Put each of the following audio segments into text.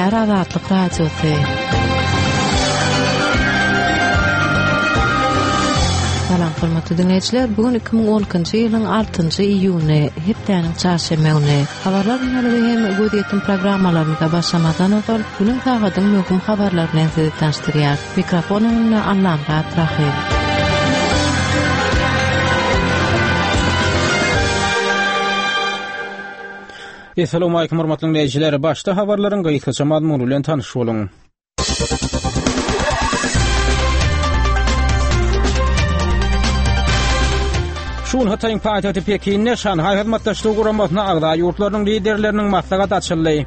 Gepleýär Azatlyk Radiosy. Salam hormatly diňleýjiler, bu gün 2012-nji ýylyň 6-njy iýuny, hepdäniň çarşenbe güni. Habarlar gündeligi hem gözýetim programmalarymyza başlamazdan ozal, günüň sagadyň möhüm habarlary bilen sizi tanyşdyrýar. Mikrofon öňünde Allamyrat Rahym. Essalawmalikim hormatly diňleýjiler! Başda habarlaryň gysgaça mazmuny bilen tanyş boluň. Şu gün Hytaýyň paýtagty Pekinde Şanhaý Hyzmatdaşlygy Guramasyna agza ýurtlarynyň liderleriniň maslahaty açyldy.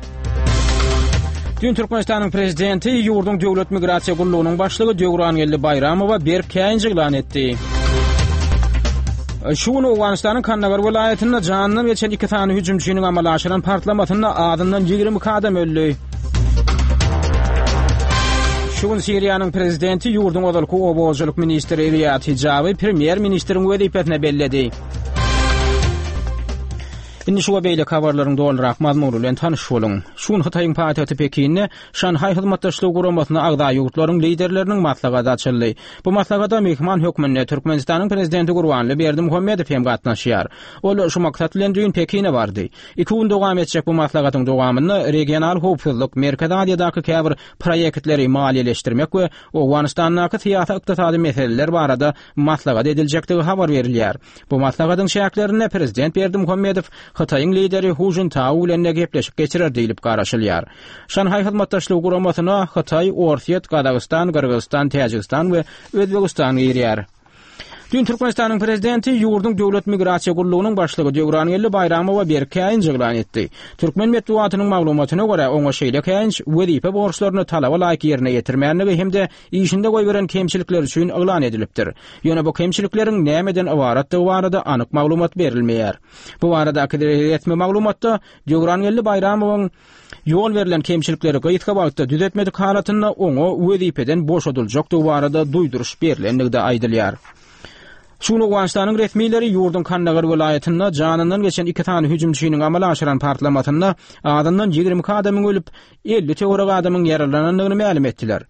Düýn Türkmenistanyň prezidenti ýurduň Döwlet migrasiýa gullugynyň başlygy Döwrangeldi Baýramowa berk käýinç yglan etdi. Şu gün Owganystanyň Kandagar welaýatynda janyndan geçen iki sany hüjümçiniň amala aşyran partlamasynda azyndan 22 adam öldi. Şu gün Siriýanyň prezidenti ýurduň ozalky oba hojalyk ministri Riýad Hijaby premýer-ministriň wezipesine belledi. Indi şu we beýleki habarlaryň dolurak mazmuny bilen tanyş boluň. Şu gün Hytaýyň paýtagty Pekinde Şanhaý Hyzmatdaşlygy Guramasyna agza ýurtlaryň liderleriniň maslahaty açyldy. Bu maslahata myhman hökmünde Türkmenistanyň Prezidenti Gurbanguly Berdimuhamedow hem gatnaşýar. Ol şu maksat bilen düýn Pekine bardy. Iki gün dowam etjek bu maslahatyň dowamynda regional howpsuzlyk, Merkezi Aziýadaky käbir proýektleri maliýeleşdirmek we Owganystandaky syýasy-ykdysady meseleler barada maslahat ediljekdigi habar berilýär. Bu maslahatyň çäklerinde prezident Berdimuhamedow Hytaýyň lideri Hu Žintao bilen-de gepleşik geçirer diýlip garaşylýar. Şanhaý Hyzmatdaşlygy Guramasyna Hytaý, Orsýet, Gazagystan, Gyrgyzystan, Täjigistan we Özbegistan girýär. Düýn Türkmenistanyň prezidenti ýurduň Döwlet migrasiýa gullugynyň başlygy Döwrangeldi Baýramowa berk käýinç yglan etdi. Türkmen metbugatynyň maglumatyna görä, oňa şeýle käýinç wezipe borçlaryny talaba laýyk ýerine ýetirmänligi hem-de işinde goýberen kemçilikleri üçin yglan edilipdir. Ýöne bu kemçilikleriň nämeden ybaratdygy barada anyk maglumat berilmeýär. Bu baradaky resmi maglumatda Döwrangeldi Baýramowyň ýol berlen kemçilikleri gysga wagtda düzetmedik halatynda oňa wezipeden boşadyljakdygy barada duýduryş berlendigi-de aýdylýar. Şu gün Owganystanyň resmileri ýurduň Kandagar welaýatynda janyndan geçen iki sany hüjümçiniň amala aşyran partlamasynda azyndan 22 adamyň ölüp, 50 töweregi adamyň ýaralanandygyny mälim etdiler.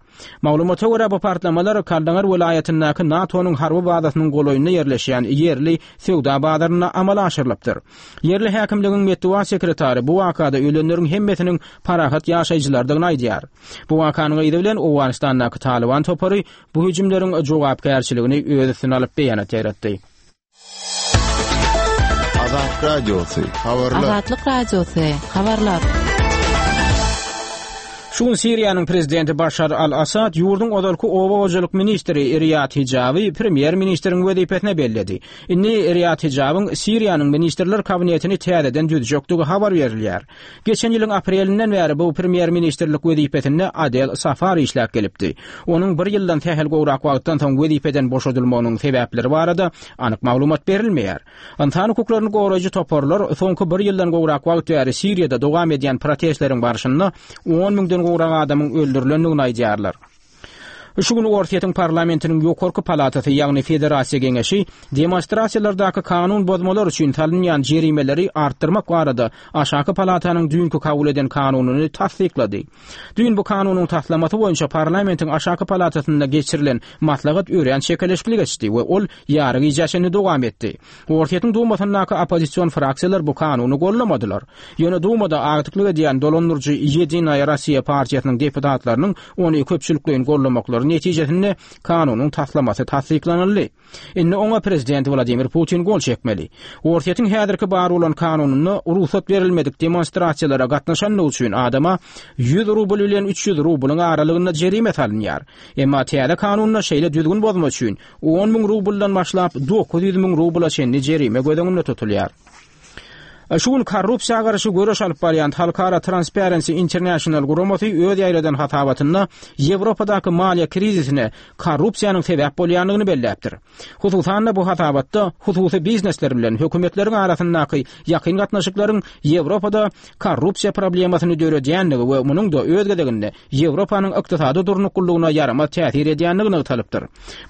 Maglumata görä, bu partlamalar Kandagar welaýatyndaky NATO-nyň harby bazasynyň golaýynda ýerleşýän ýerli söwda bazarynda amala aşyrylypdyr. Ýerli häkimligiň metbugat sekretary bu wakada ölenleriň hemmesiniň parahat ýaşaýjylardygyny aýdýar. Bu wakanyň yzy bilen Owganystandaky Talyban topary bu hüjümleriň jogapkärçiligini öz üstüne alyp beýanat ýaýratdy. Azat Radiosy, habarlar. Azatlyk Radiosy, habarlar. Şu gün Siriýanyň prezidenti Başar al-Assad ýurduň ozalky oba hojalyk ministri Riýad Hijaby premýer-ministriň wezipesine belledi. Indi Riýad Hijabyň Siriýanyň ministrler kabinetini täzeden düzjekdigi habar berilýär. Geçen ýylyň aprelinden bäri bu premýer-ministrlik wezipesinde Adel Safar işläp gelipdi. Onuň bir ýyldan sähel gowrak wagtdan soň wezipeden boşadylmagynyň sebäpleri barada anyk maglumat berilmeýär. Ynsan hukuklaryny goraýjy toparlar soňky bir ýyldan gowrak wagt bäri Siriýada dowam edýän protestleriň barşynda on müňden gowrak adamyň öldürilendigini aýdýarlar. Şu gün Orsýetiň parlamentiniň ýokarky palatasy, ýagny Federasiýa Geňeşi demonstrasiýalardaky kanun bozmalar üçin salynýan jerimeleri artdyrmak barada aşaky palatanyň düýnki kabul eden kanunyny tassyklady. Düýn bu kanunyň taslamasy boýunça parlamentiň aşaky palatasynda geçirilen maslahat örän çekeleşikli geçdi we ol ýary gijä çenli dowam etdi. Orsýetiň Dumasyndaky oppozision fraksiýalar bu kanuny goldamadylar. Ýöne Dumada agdyklyk edýän dolandyryjy Ýedinaýa Rossiýa partiýasynyň deputatlarynyň ony köpçülikleýin goldamaklary netijesinde kanunyň taslamasy tassyklanyldy. Indi oňa prezident Wladimir Putin gol çekmeli. Orsýetiň häzirki bar bolan kanunynda rugsat berilmedik demonstrasiýalara gatnaşanlygy üçin adama 100 rubl bilen 300 rublyň aralygynda jerime salynýar. Emma täze kanunda şeýle düzgün bozma üçin On müň rubldan başlap, 900 müň rubla çenli jerime göz öňünde tutulýar. Şu gün korrupsiýa garşy göreş alyp barýan halkara Transparency International guramasy öz ýaýradan hasabatynda Ýewropadaky maliýe krizisine korrupsiýanyň sebäp bolýandygyny belläpdir. Hususan-da, bu hasabatda hususy biznesler bilen hökümetleriň arasyndaky ýakyn gatnaşyklaryň Ýewropada korrupsiýa problemasyny döredýändigi we munuň-da öz gezeginde Ýewropanyň ykdysady durnuklylygyna ýaramaz täsir edýändigi nygtalypdyr.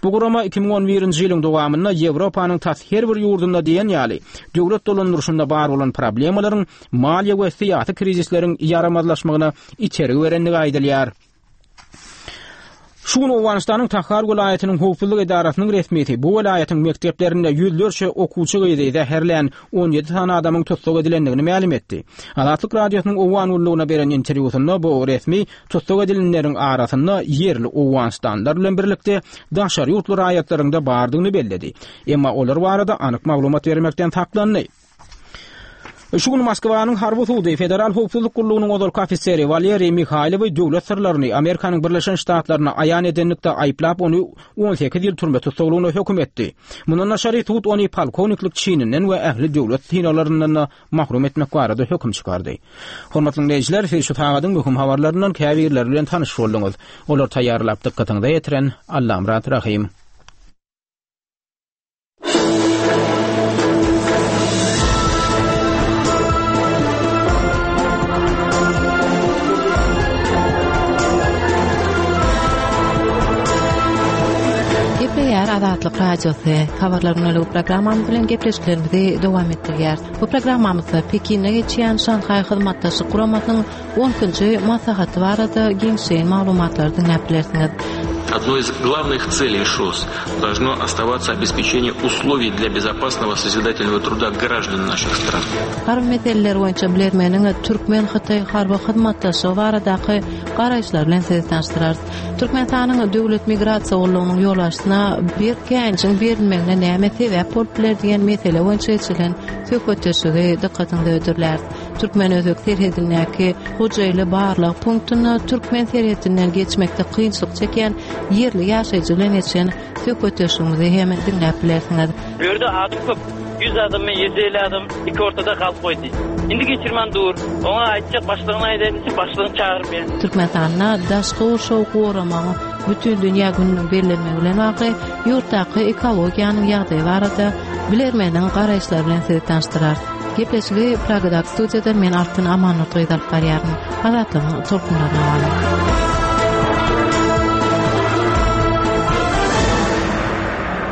Bu gurama 2011-nji ýylyň dowamynda Ýewropanyň tas her bir ýurdunda diýen ýaly döwlet dolandyryşynda bar bolan. bolan problemalaryň maliýe we syýasy krizisleriň ýaramazlaşmagyna itergi berendigi aýdylýar. Şu gün Owganystanyň Tahar welaýatynyň howpsuzlyk edarasynyň resmisi bu welaýatyň mekdeplerinde ýüzlerçe okuwçy gyzy zäherlän 17 sany adamyň tussag edilendigini mälim etdi. Azatlyk Radiosynyň Owgan gullugyna beren interwýusynda bu resmi tussag edilenleriň arasynda ýerli owganystanlylar bilen birlikde daşary ýurtly raýatlaryň-da bardygyny belledi. Emma olar barada anyk maglumat bermekden saklandy. Şu gün Moskwanyň harby sudy Federal howpsuzlyk gullugynyň ozalky ofiseri Waleriý Mihaýlowy döwlet syrlaryny Amerikanyň Birleşen Ştatlaryna aýan edenlikde aýyplap, ony 18 ýyl türme tussaglygyna höküm etdi. Mundan daşary, sud ony polkowniklik çininden we ähli döwlet synaglaryndan-da mahrum etmek barada höküm çykardy. Hormatly diňleýjiler, siz şu sagadyň möhüm habarlaryndan käbirleri bilen tanyş bolduňyz. Olary taýýarlap dykgatyňyza ýetiren Allamyrat Rahym. Gepleýär Azatlyk Radiosy. Habarlar güneligi programmamyz bilen gepleşiklerimizi dowam etdirýäris. Bu programmamyzda Pekinde geçýän Şanhaý Hyzmatdaşlyk Guramasynyň On ikinji maslahaty barada giňişleýin maglumatlary diňläp bilersiňiz. Одной из главных целей ШОС должно оставаться обеспечение условий для безопасного созидательного труда граждан наших стран. Harby meseleler boýunça bilermeniň türkmen-hytaý harby hyzmatdaşlygy baradaky garaýyşlary bilen sizi tanyşdyrarys. Türkmenistanyň Döwlet migrasiýa gullugynyň ýolbaşçysyna berk käýinjiň berilmegine näme sebäp bolup biler diýen mesele boýunça geçirilen söhbetdeşligi dykgatyňyza hödürläris. Türkmen-özbek serhedindäki Hojaili barlag punktynda türkmen serhedinden geçmekde kynçylyk çekýän ýerli ýaşaýjy bilen geçen söhbetdeşligimizi hem diňläp bilersiňiz. Bu ýerde adam köp. 100 adammy, 150 adam iki ortada galyp goýdy. Indi geçirmän dur. Oňa aýtjak başlygyna aýdaýyn diýse başlygyny çagyrmaýar. Türkmenistanda daşky gurşawy goramagyň Bütindünýä gününiň bellenmegi bilen bagly ýurtdaky ekologiýanyň ýagdaýy barada bilermeniň garaýyşlary bilen sizi tanyşdyrarys. Gepleşigi Pragadaky studiýadan men Altyn Amannurdy gyzy alyp barýaryn. Azatlygyň tolkunlaryna galyň.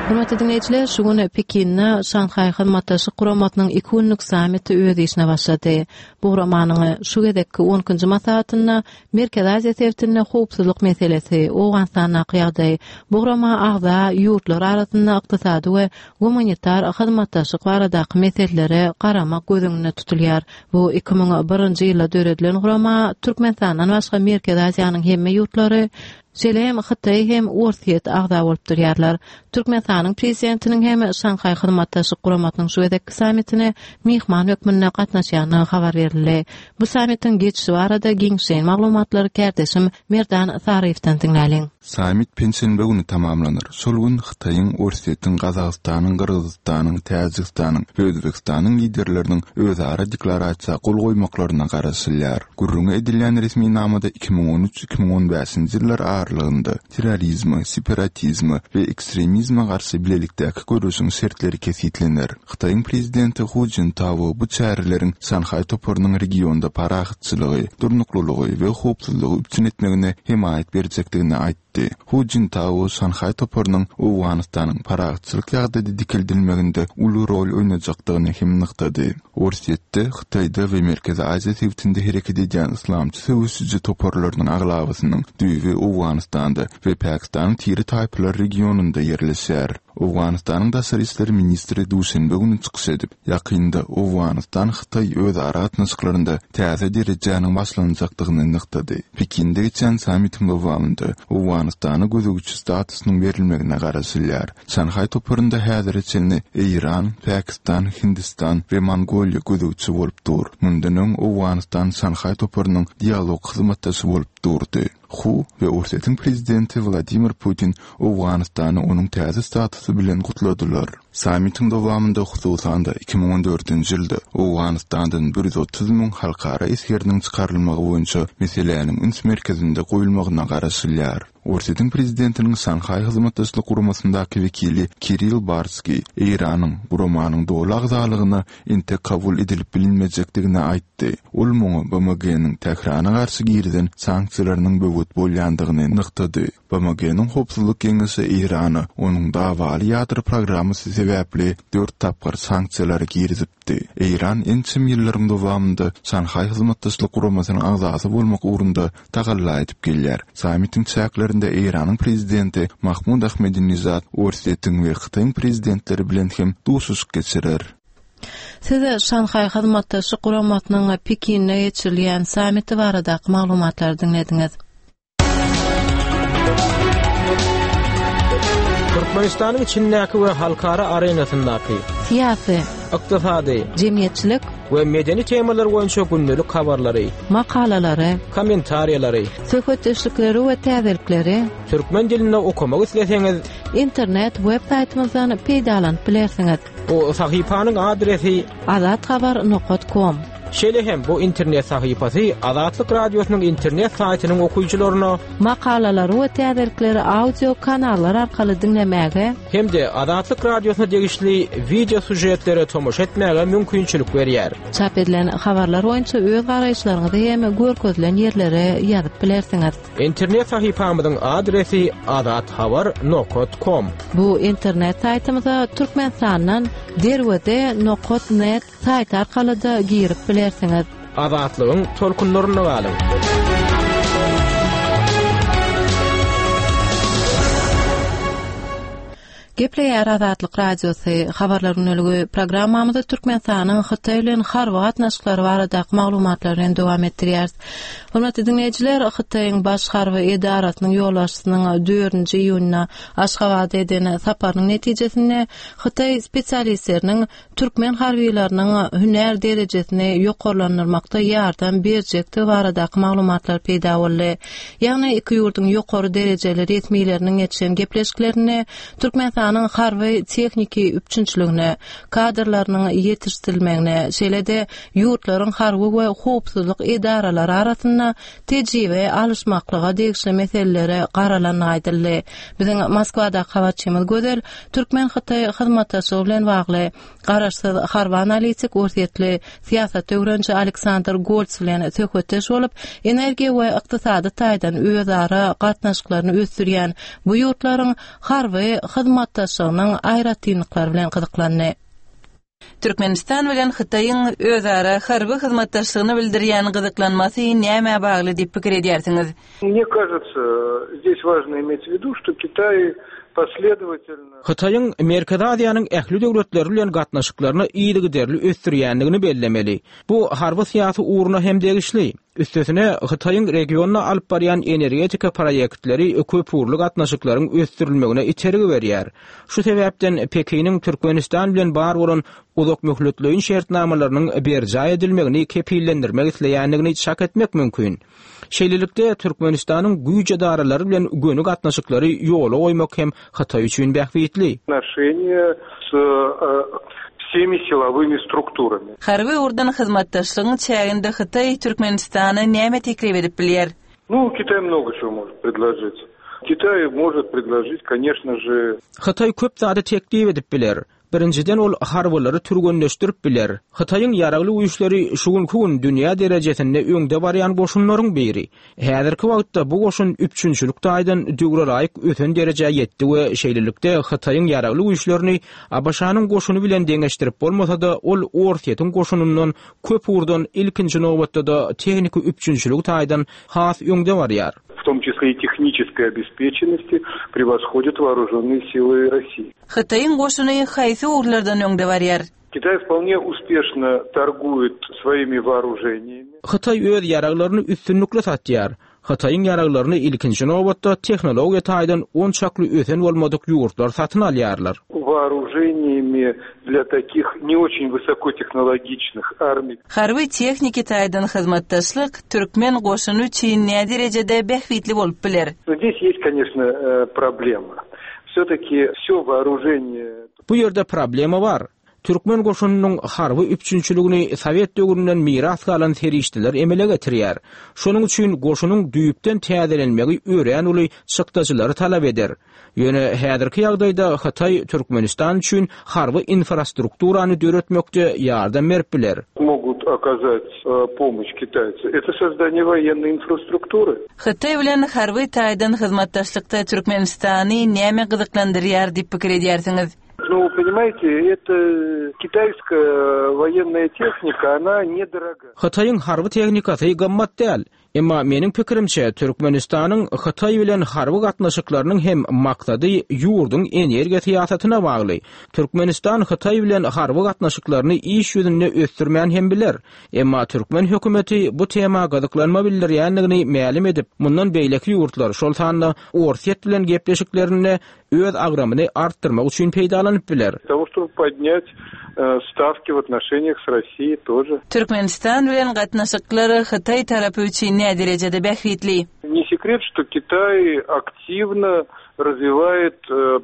Hormatly diňleýjiler, şu gün Pekinde Şanhaý Hyzmatdaşlyk Guramasynyň iki günlük sammiti öz işine başlady. Bu guramanyň şu gezekki on ikinji maslahatynda Merkezi Aziýa sebitinde howpsuzlyk meselesi, Owganystandaky ýagdaý, bu gurama agza ýurtlar arasynda ykdysady we gumanitar hyzmatdaşlyk baradaky meselelere garamak göz öňünde tutulýar. Bu 2001-nji ýylda döredilen gurama Türkmenistandan başga Merkezi Aziýanyň hemme ýurtlary, şeýle hem Hytaý hem Orsýet agza bolup durýarlar. Türkmenistanyň Prezidentiniň hem Şanhaý Hyzmatdaşlyk Guramasynyň şu gezekki sammitine myhman hökmünde gatnaşýandygy habar berildi. Bu sammitiň geçişi barada giňişleýin maglumatlary kärdeşim Merdan Saryýewden diňläliň. Sammit penşenbe güni tamamlanar. Şol gün Hytaýyň, Orsýetiň, Gazagystanyň, Gyrgyzystanyň, Täjigistanyň we Özbegistanyň liderleriniň özara deklarasiýa gol goýmaklaryna garaşylýar. Gürrüňi edilýän resminamada 2013, 2015-nji ýyllar aralygynda terrorizme, separatizme we ekstremizme garşy bilelikdäki göreşiň şertleri kesgitlener. Hytaýyň prezidenti Hu Jintao bu çäreleriň Şanhaý toparynyň regionda parahatçylygy, durnuklylygy we howpsuzlygy üpjün etmegine hemaýat berjekdigini aýtdy. Hu Jintao Şanhaý toparynyň Owganystanyň parahatçylyk ýagdaýda dikeldilmeginde uly rol oýnajakdygyny hem nygtady. Orsýetde, Hytaýda we Merkezi Aziýa sebitinde hereket edýän yslamçy söweşiji toparlarynyň aglabasynyň düýbi Owganystanda we Pakistanyň tire-taýpalar regionynda ýerleşýär. Owganystanyň daşary işler ministri duşenbe güni çykyş edip, ýakynda Owganystan-Hytaý özara gatnaşyklarynda täze derejäniň başlanjakdygyny nygtady. Pekinde geçýän sammitiň dowamynda Owganystana gözegçi statusynyň berilmegine garaşylýar. Şanhaý toparynda häzire çenli Eýran, Pakistan, Hindistan we Mongoliýa gözegçi bolup dur. Mundan öň Owganystan Şanhaý toparynyň dialog hyzmatdaşy bolup durdy. Hu we Orsýetiň prezidenti Wladimir Putin Owganystany onuň täze statusy bilen gutladylar. Sammitiň dowamynda, hususan-da, 2014-nji ýylda Owganystandan 130 müň halkara esgeriniň çykarylmagy boýunça meseläniň üns merkezinde goýulmagyna garaşylýar. Orsýetiň prezidentiniň Şanhaý Hyzmatdaşlyk Guramasyndaky wekili Kirill Barskiý Eýranyň guramanyň doly agzalygyna entek kabul edilip bilinmejekdigini aýtdy. Ol muňa BMG-niň Tährana garşy girizen sanksiýalarynyň böwet bolýandygyny nygtady. BMG-niň Howpsuzlyk Geňeşi Eýrana onuň dawaly ýadro programmasy sebäpli. sebäpli dört tapgyr sanksiýalary girizipdi. Eýran ençeme ýyllaryň dowamynda Şanhaý Hyzmatdaşlyk Guramasynyň agzasy bolmak ugrunda tagalla edip gelýär. Sammitiň çäklerinde Eýranyň Prezidenti Mahmud Ahmedinejad Orsýetiň we Hytaýyň Prezidentleri bilen hem duşuşyk geçirer. Siz Şanhaý Hyzmatdaşlyk Guramasynyň Pekinde geçirilýän sammiti baradaky maglumatlary diňlediňiz. Türkmenistanyň içindäki we halkara arenasyndaky syýasy, ykdysady, jemgyýetçilik we medeni temalar boýunça gündelik habarlary, makalalary, kommentariýalary, söhbetdeşlikleri we täzelikleri türkmen dilinde okamak isleseňiz, internet web saýtymyzdan peýdalanyp bilersiňiz. Bu sahypanyň adresi azathabar nokat kom. Şeýle hem bu internet sahypasy Azatlyk Radiosynyň internet saýtynyň okyjylaryna Makalalary we täzelikleri audio kanallar arkaly diňlemäge hem-de Azatlyk Radiosyna degişli wideo sýužetlere tomaşa etmäge mümkinçilik berýär. Çap edilen habarlar boýunça öz garaýyşlaryňyzy hem görkezilen ýerlere ýazyp bilersiňiz. Internet sahypamyzyň adresi azathabar nokat kom. Bu internet saýtymyza Türkmenistandan Derweze nokat net saýty arkaly-da girip bilersiňiz. Azatlygyň tolkunlarynda galyň! Gepleýär Azatlyk Radiosy, Habarlar gündeligi programmamyzy Türkmenistanyň Hytaý bilen harby gatnaşyklary baradaky maglumatlar bilen dowam etdirýäris. Hormatly diňleýjiler, Hytaýyň baş harby edarasynyň ýolbaşçysynyň dördünji iýunda Aşgabada eden saparynyň netijesinde hytaý spesialistleriniň türkmen harbylarynyň hünär derejesini ýokarlandyrmakda ýardam berjekdigi baradaky maglumatlar peýda boldy. Ýagny iki ýurduň ýokary derejeli resmileriniň geçiren gepleşiklerinde Türkmenistanyň harby-tehniki üpjünçiligine, kadrlarynyň ýetişdirilmegine, şeýle-de ýurtlaryň harby we howpsuzlyk edaralary arasynda tejribe alyşmaklyga degişli meselelere garalandygy aýdyldy. Biziň Moskwadaky habarçymyz Gözel türkmen-hytaý hyzmatdaşlygy bilen bagly garaşsyz harby analitik orsýetli syýasat öwreniji Aleksandr Golts bilen söhbetdeş bolup, energiýa we ykdysady taýdan özara gatnaşyklaryny ösdürýän bu ýurtlaryň harby hyzmatdaşlygynyň aýratynlyklary bilen gyzyklandy. Türkmenistan bilen Hytaýyň özara harby hyzmatdaşlygyna bildirýän gyzyklanmasy nämä bagly diýip pikir edýärsiňiz? Mne kažется, здесь важно иметь в виду, что Китай последовательно. Hytaýyň Merkezi Aziýanyň ähli döwletleri bilen gatnaşyklaryny yzygiderli ösdürýändigini bellemeli. Bu harby-syýasy ugruna hem degişli. Üstesine, Hytaýyň regionda alyp barýan energetika proýektleri köpugurly gatnaşyklaryň ösdürilmegine itergi berýär. Şu sebäpden Pekiniň Türkmenistan bilen bar bolan uzakmöhletleýin şertnamalarynyň berjaý edilmegini kepillendirmek isleýändigini çak etmek mümkin. Şeýlelikde, Türkmenistanyň güýç edaralary bilen göni gatnaşyklary ýola goýmak hem Hytaý üçin bähbitli. Отношения с всеми силовыми strukturami. Harby ugurdan hyzmatdaşlygyň çäginde Hytaý Türkmenistana näme teklip edip bilýär? Nu, Kitaj mnogo çego может predložit. Kitaj может predložit, koneçno že. Hytaý köp zady teklip edip biler. Birinjiden ol harbylary türgenleşdirip biler. Hytaýyň ýaragly güýçleri şu günki gün dünýä derejesinde öňde barýan goşunlaryň biri. Häzirki wagtda bu goşun üpjünçilik taýdan döwre laýyk ösen derejä ýetdi we şeýlelikde Hytaýyň ýaragly güýçlerini ABŞ-nyň goşuny bilen deňeşdirip bolmasa-da ol Orsýetiň goşunyndan köp ugurdan ilkinji nobatda-da tehniki üpjünçiligi taýdan has öňde barýar. W tom çisle i tehniçeskoý obespeçennosti prewoshodýat woorujennye sily Rossii. Hytaýyň goşuny haýsy ugurlardan öňde barýar? Kitaý wpolne uspešno torguýet swoimi woorujeniýami. Hytaý öz ýaraglaryny üstünlikli satýar. Hytaýyň ýaraglaryny ilkinji nobatda tehnologiýa taýdan onçakly ösen bolmadyk ýurtlar satyn alýarlar. Woorujeniýami dlýa takih ne oçen wysokotehnologiçnyh armiý. Harby-tehniki taýdan hyzmatdaşlyk türkmen goşuny üçin näderejede bähbitli bolup biler? No zdes ýest, koneçno, problema. Wse-taki wsýo woorujeniýe. Bu ýerde problema bar. Türkmen goşunynyň harby üpjünçiligini sowet döwründen miras galan serişdeler emele getirýär. Şonuň üçin goşunyň düýpden täzelenmegi örän uly çykdajylary talap eder. Ýöne häzirki ýagdaýda Hytaý Türkmenistan üçin harby infrastrukturany döretmekde ýardam berip biler. Mogut okazat pomoş kitaýcy. Eto sozdaniýe woýennoý infrastruktury. Hytaý bilen harby taýdan hyzmatdaşlykda Türkmenistany näme gyzyklandyrýar diýip pikir edýärsiňiz? Ну, понимаете, это китайская военная техника, она недорога. Hytaýyň harby tehnikasy gymmat däl. Emma meniň pikirimçe, Türkmenistanyň Hytaý bilen harby gatnaşyklarynyň hem maksady ýurduň energiýa syýasatyna bagly. Türkmenistan Hytaý bilen harby gatnaşyklaryny iş ýüzünde ösdürmän hem biler. Emma türkmen hökümeti bu tema gyzyklanma bildirýändigini mälim edip, mundan beýleki ýurtlar, şol sanda Orsýet bilen gepleşiklerinde öz agramyny artdyrmak üçin peýdalanyp biler. Того, чтобы podnять stavki w otnoşeniýah s Rossiýey тоже. Türkmenistan bilen gatnaşyklar Hytaý tarapy üçin näderejede bähbitli? Ne sekret, što Kitaý aktiwno razwiwaet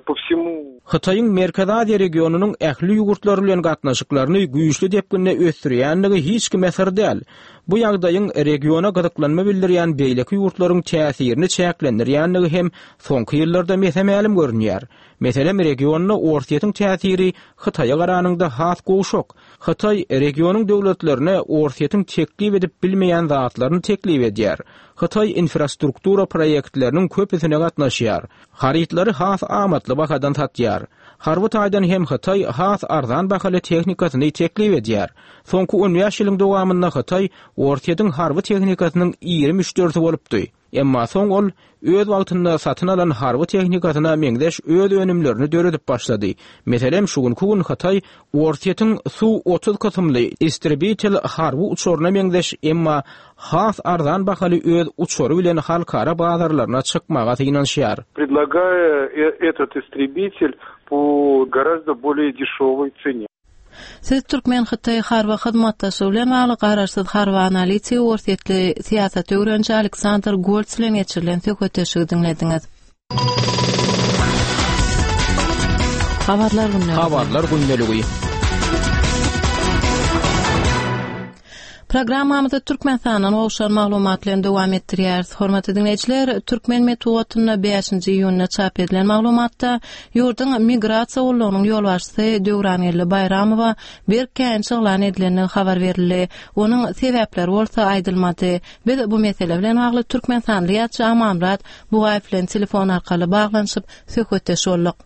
po wsemu. Hytaýyň Merkezi Aziýa regionynyň ähli ýurtlary bilen gatnaşyklaryny güýçli depginde ösdürýändigi hiç kime syr däl. Bu ýagdaýyň regiona gyzyklanma bildirýän beýleki ýurtlaryň täsirini çäklendirýändigi hem soňky ýyllarda mese-mälim görünýär. Meselem, regionda Orsýetiň täsiri Hytaýa garanyňda has gowşak. Hytaý regionyň döwletlerine Orsýetiň teklip edip bilmeýän zatlaryny teklip edýär. Hytaý infrastruktura proýektleriniň köpüsine gatnaşýar. Harytlary has amatly bahadan satýar. Harby taýdan hem Hytaý has arzan bahaly tehnikasyny teklip edýär. Soňky on bäş ýylyň dowamynda Hytaý Orsýetiň harby tehnikasynyň iri müşderisi bolupdy. Emma soň ol öz wagtynda satyn alan harby tehnikasyna meňzeş öz önümlerini döredip başlady. Meselem, şu günki gün Hytaý Orsýetiň Su-otuz kysymly istrebitel harby uçaryna meňzeş, emma has arzan bahaly öz uçary bilen halkara bazarlaryna çykmaga synanyşýar. Predlagaýa etot istrebitel po gorazdo bolee deşewoý tsene. Siz türkmen-hytaý harby hyzmatdaşlygy bilen bagly garaşsyz harby analitigi orsýetli syýasaty öwreniji Aleksandr Golts bilen geçirilen söhbetdeşligi diňlediňiz. Habarlar gündeligi. Habarlar gündeligi. Programmamyzy Türkmenistandan gowşan maglumat bilen dowam etdirýäris. Hormatly diňleýjiler, türkmen metbugatynda bäşinji iýunda çap edilen maglumatda ýurduň Migrasiýa gullugynyň ýolbaşçysy Döwrangeldi Baýramowa berk käýinç yglan edilendigi habar berildi. Onuň sebäpleri bolsa aýdylmady. Biz bu mesele bilen bagly türkmenistanly ýazyjy Amanmyrat Bugaýew bilen telefon arkaly baglanyşyp söhbetdeş bolduk.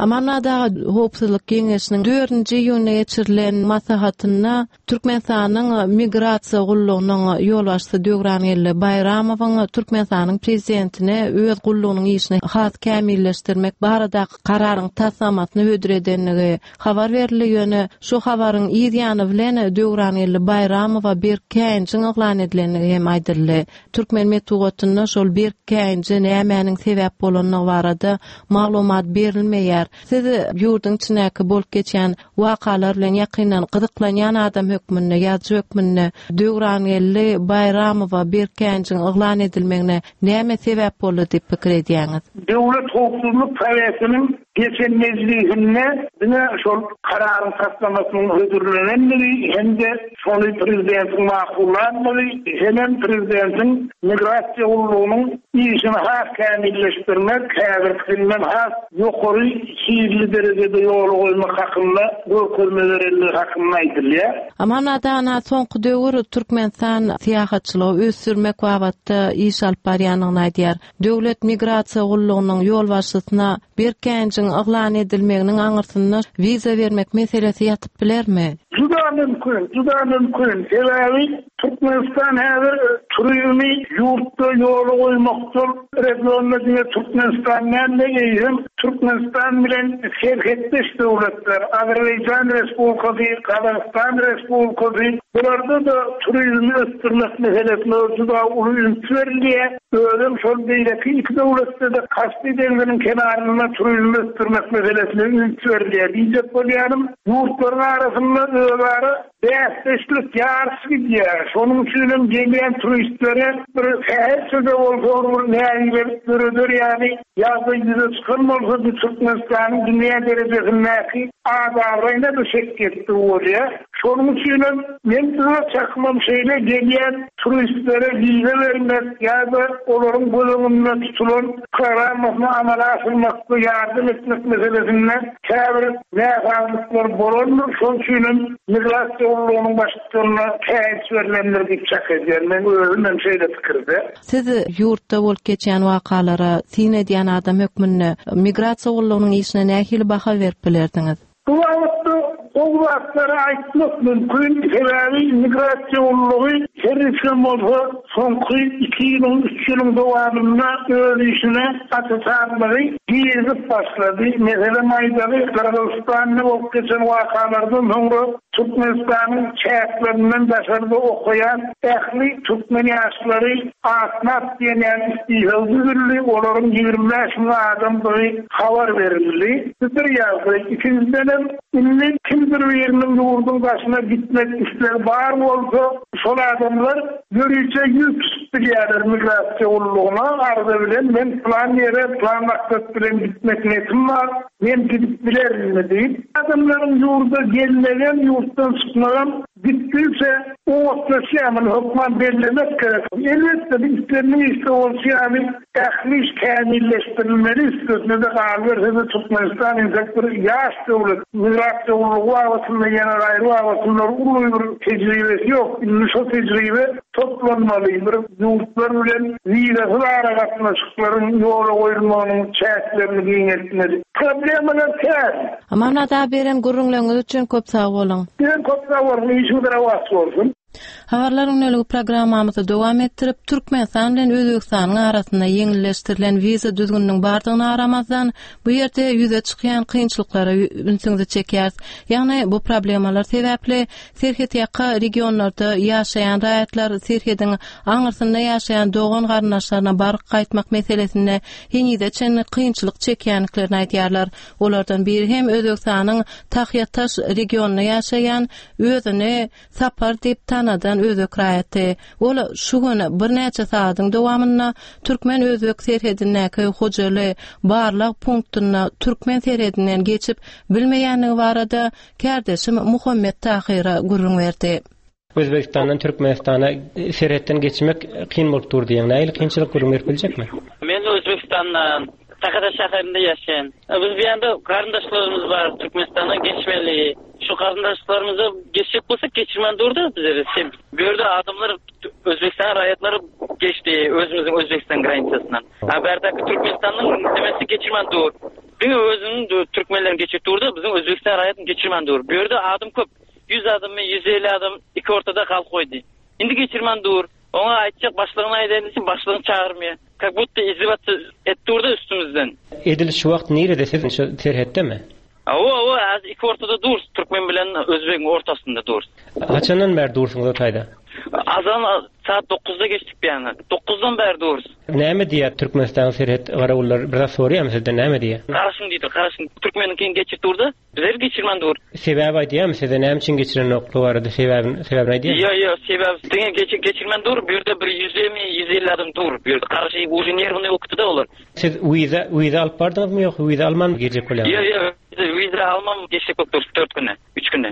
Amanmyrat aga, Howpsuzlyk geňeşiniň dördünji iýunda geçirilen maslahatynda Türkmenistanyň Migrasiýa gullugynyň ýolbaşçysy Döwrangeldi Baýramowyň Türkmenistanyň Prezidentine öz gullugynyň işini has kämilleşdirmek baradaky kararyň taslamasyny hödür edendigi habar berildi, ýöne şu habaryň yz ýany bilen Döwrangeldi Baýramowa berk käýinjiň yglan edilendigi hem aýdyldy. Türkmen metbugatynda şol berk käýinje nämäniň sebäp bolandygy barada maglumat berilmeýär. Siz ýurduň içindäki bolup geçýän wakalar bilen ýakyndan gyzyklanýan adam hökmünde, ýazyjy hökmünde Döwrangeldi Baýramowa berk käýinjiň yglan edilmegine näme sebäp boldy diýip pikir edýäňiz? Döwlet howpsuzlyk sowetiniň geçen mejlisinde diňe şol kararyň taslamasynyň hödürlenendigi hem-de şony prezidentiň makullandygy hemem prezidentiň migrasiýa gullugynyň işini has kämilleşdirmek, häzirkisinden has ýokary hilli derejede ýola goýmak hakynda görkezme berendigi hakynda aýdylýar. Aman Adana soňky döwür Türkmenistan syýahatçylygy ösdürmek babatda iş alyp barýandygyny aýdýar. Döwlet migrasiýa gullugynyň ýolbaşçysyna Berkänjiň yglan edilmeginiň aňyrsynda wiza bermek meselesi ýatyp bilermi? Juda mümkin, juda mümkin. Sebäbi Türkmenistan häzir turizmi ýurtda ýola goýmakda regionda diňe Türkmenistan däl-de, eýsem Türkmenistan bilen serhetdeş döwletler, Azerbaýjan Respublikasy, Gazagystan Respublikasy, bularda-da turizmi ösdürmek meselesine juda uly üns berilýär. Özem şol beýleki iki döwletde-de Kaspi deňziniň kenarynda turizmi ösdürmek meselesine üns berilýär. Diýjek bolýanym, ýurtlaryň arasynda özara bäsdeşlik, ýaryş gidýär. Şonuň üçinem gelýän turistlere bir sähelçe-de bolsa bir nägilelik döreder ýaly ýagdaý ýüze çykan bolsa. bolsa bu Türkmenistanyň dünýä derejesindäki at-abraýyna-da şek ýetdigi bolýar. Şonuň üçinem men öz çakymam şeýle gelýän turistlere wiza bermek ýa-da olaryň göz öňünde tutulan programmasyny amala aşyrmakda ýardam etmek meselesinde käbir näsazlyklar bolandyr, şonuň üçinem migrasiýa gullugynyň baştutanyna käýinç berlendir diýip çak edýän. Meň özüm hem şeýle pikirde. Siz ýurtda bolup geçýän wakalara syn edýän adam hökmünde migrasiýa gullugynyň işine nähili baha berip bilerdiňiz? Bu babatda gowy zatlary aýtmak mümkin, sebäbi migrasiýa gullugy her niçigem bolsa soňky iki ýylyň, üç ýylyň dowamynda öz işine aç-açanlygy girizip başlady. Meselem aýdaly, Gyrgyzystanda bolup geçen wakalardan soňra Türkmenistanyň çäklerinden daşarda okaýan ähli türkmen ýaşlary atnap diýen ýaly istisag düzüldi, olaryň 25 müň adamdygy habar berildi. Bu bir ýagdaý. Ikinjidenem, indi kimdir biriniň ýurduň daşyna gitmek islegi bar bolsa, şol adamlar ýörite ýüz tutup bilýärler migrasiýa gullugyna arza bilen, men pylan ýere, pylan maksat bilen gitmek niýetim bar, Men gidip bilerinmi diýip, adamlaryň ýurda gelmegem, ýurtdan çykmagam gitdigiçe oňatlaşýar, muny hökman bellemek gerek. Elbetde, bu islendik işde bolşy ýaly, ähli iş kämilleşdirilmeli, üstesine-de galyberse-de Türkmenistan entek bir ýaş döwlet, migrasiýa gullugy babatynda ýene gaýry babatynda uly bir tejribesi ýok, indi şo tejribe toplanmaly, bir ýurtlar bilen wizasyz aragatnaşyklaryň ýola goýulmagynyň çäklerini giňeltmeli. Problemalar kän. Amanmyrat aga beren gürrüňleriňiz üçin köp sag boluň. Sizem köp sag boluň, işiňiz rowaç bolsun. Habarlar gündeligi programmamyzy dowam etdirip, Türkmenistan bilen Özbegistanyň arasynda ýeňilleşdirilen wiza düzgüniniň bardygyna garamazdan, bu ýerde ýüze çykýan kynçylyklara ünsüňizi çekýäris. Ýagny bu problemalar sebäpli Serhetýaka regionlarda ýaşaýan raýatlar serhediň aňyrsynda ýaşaýan dogan-garyndaşlaryna baryp gaýtmak meselesinde henize çenli kynçylyk çekýändiklerini aýdýarlar. Olardan biri hem Özbegistanyň Tahýataş regionynda ýaşaýan, özüni Sapar diýip tanadan özbek raýaty. Ol şu gün birnäçe sagadyň dowamynda türkmen-özbek serhedindäki Hojaly barlag punktynda türkmen serhedinden geçip bilmeýändigi barada kärdeşim Muhammet Tahyra gürrüň berdi. Özbegistandan Türkmenistana serhetden geçmek kyn bolup dur diýýäň. Nähili kynçylyk gürrüň berip biljekmi? Men Özbegistandan, Takada şäherinde ýaşaýan. Biz bu ýanda garyndaşlarymyz bar, Türkmenistandan geçmeli. Şu garyndaşlarymyza geçjek bolsak geçirmän durdy bizleri. Bu ýerde adamlar Özbegistan raýatlary geçdi özümiziň Özbegistan graniçasyndan. A bärdäki Türkmenistanyň nemesi geçirmän dur. Diňe özüniň türkmenlerini geçirip durdy, biziň Özbegistan raýatyny geçirmän dur. Bu ýerde adam köp. 100 adammy, 150 adam iki ortada galyp goýdy. Indi geçirmän dur. Oňa aýtjak başlygyna aýdaýyn diýsem, başlygyny çagyrmaýar. Kak budda izdiwatsa etip durda üstümizden. Edil şu wagt nirede siz şu serhetdemi? Hawa hawa häzir iki ortada durus türkmen bilen özbegiň ortasynda durus. Haçandan bäri dursuňyz o taýda? Azan saat dokuzda geçdik bu ýana. Dokuzdan bäri durus. Näme diýýär Türkmenistanyň serhet garawullary bir zat soraýarmy sizden näme diýýär? Garaşyň diýdi garaşyň türkmeniňkini geçirip durda Bizleri geçirmän dur. Sebäp aýdýarmy size näme üçin geçirenoklygy barada sebäbini sebäbini aýdýarmy? Ýo ýo sebäp diňe geçir geçirmän dur bu ýerde bir ýüzemi 150 adam dur bu ýerde garşy uje nerwnyý bolup gitdida olar. Siz wiza wiza alyp bardyňyzmy ýok wiza alman girjek bolýaňyzmy? Ýo ýo wiza alman geçjek bolup durus dört güne üç güne.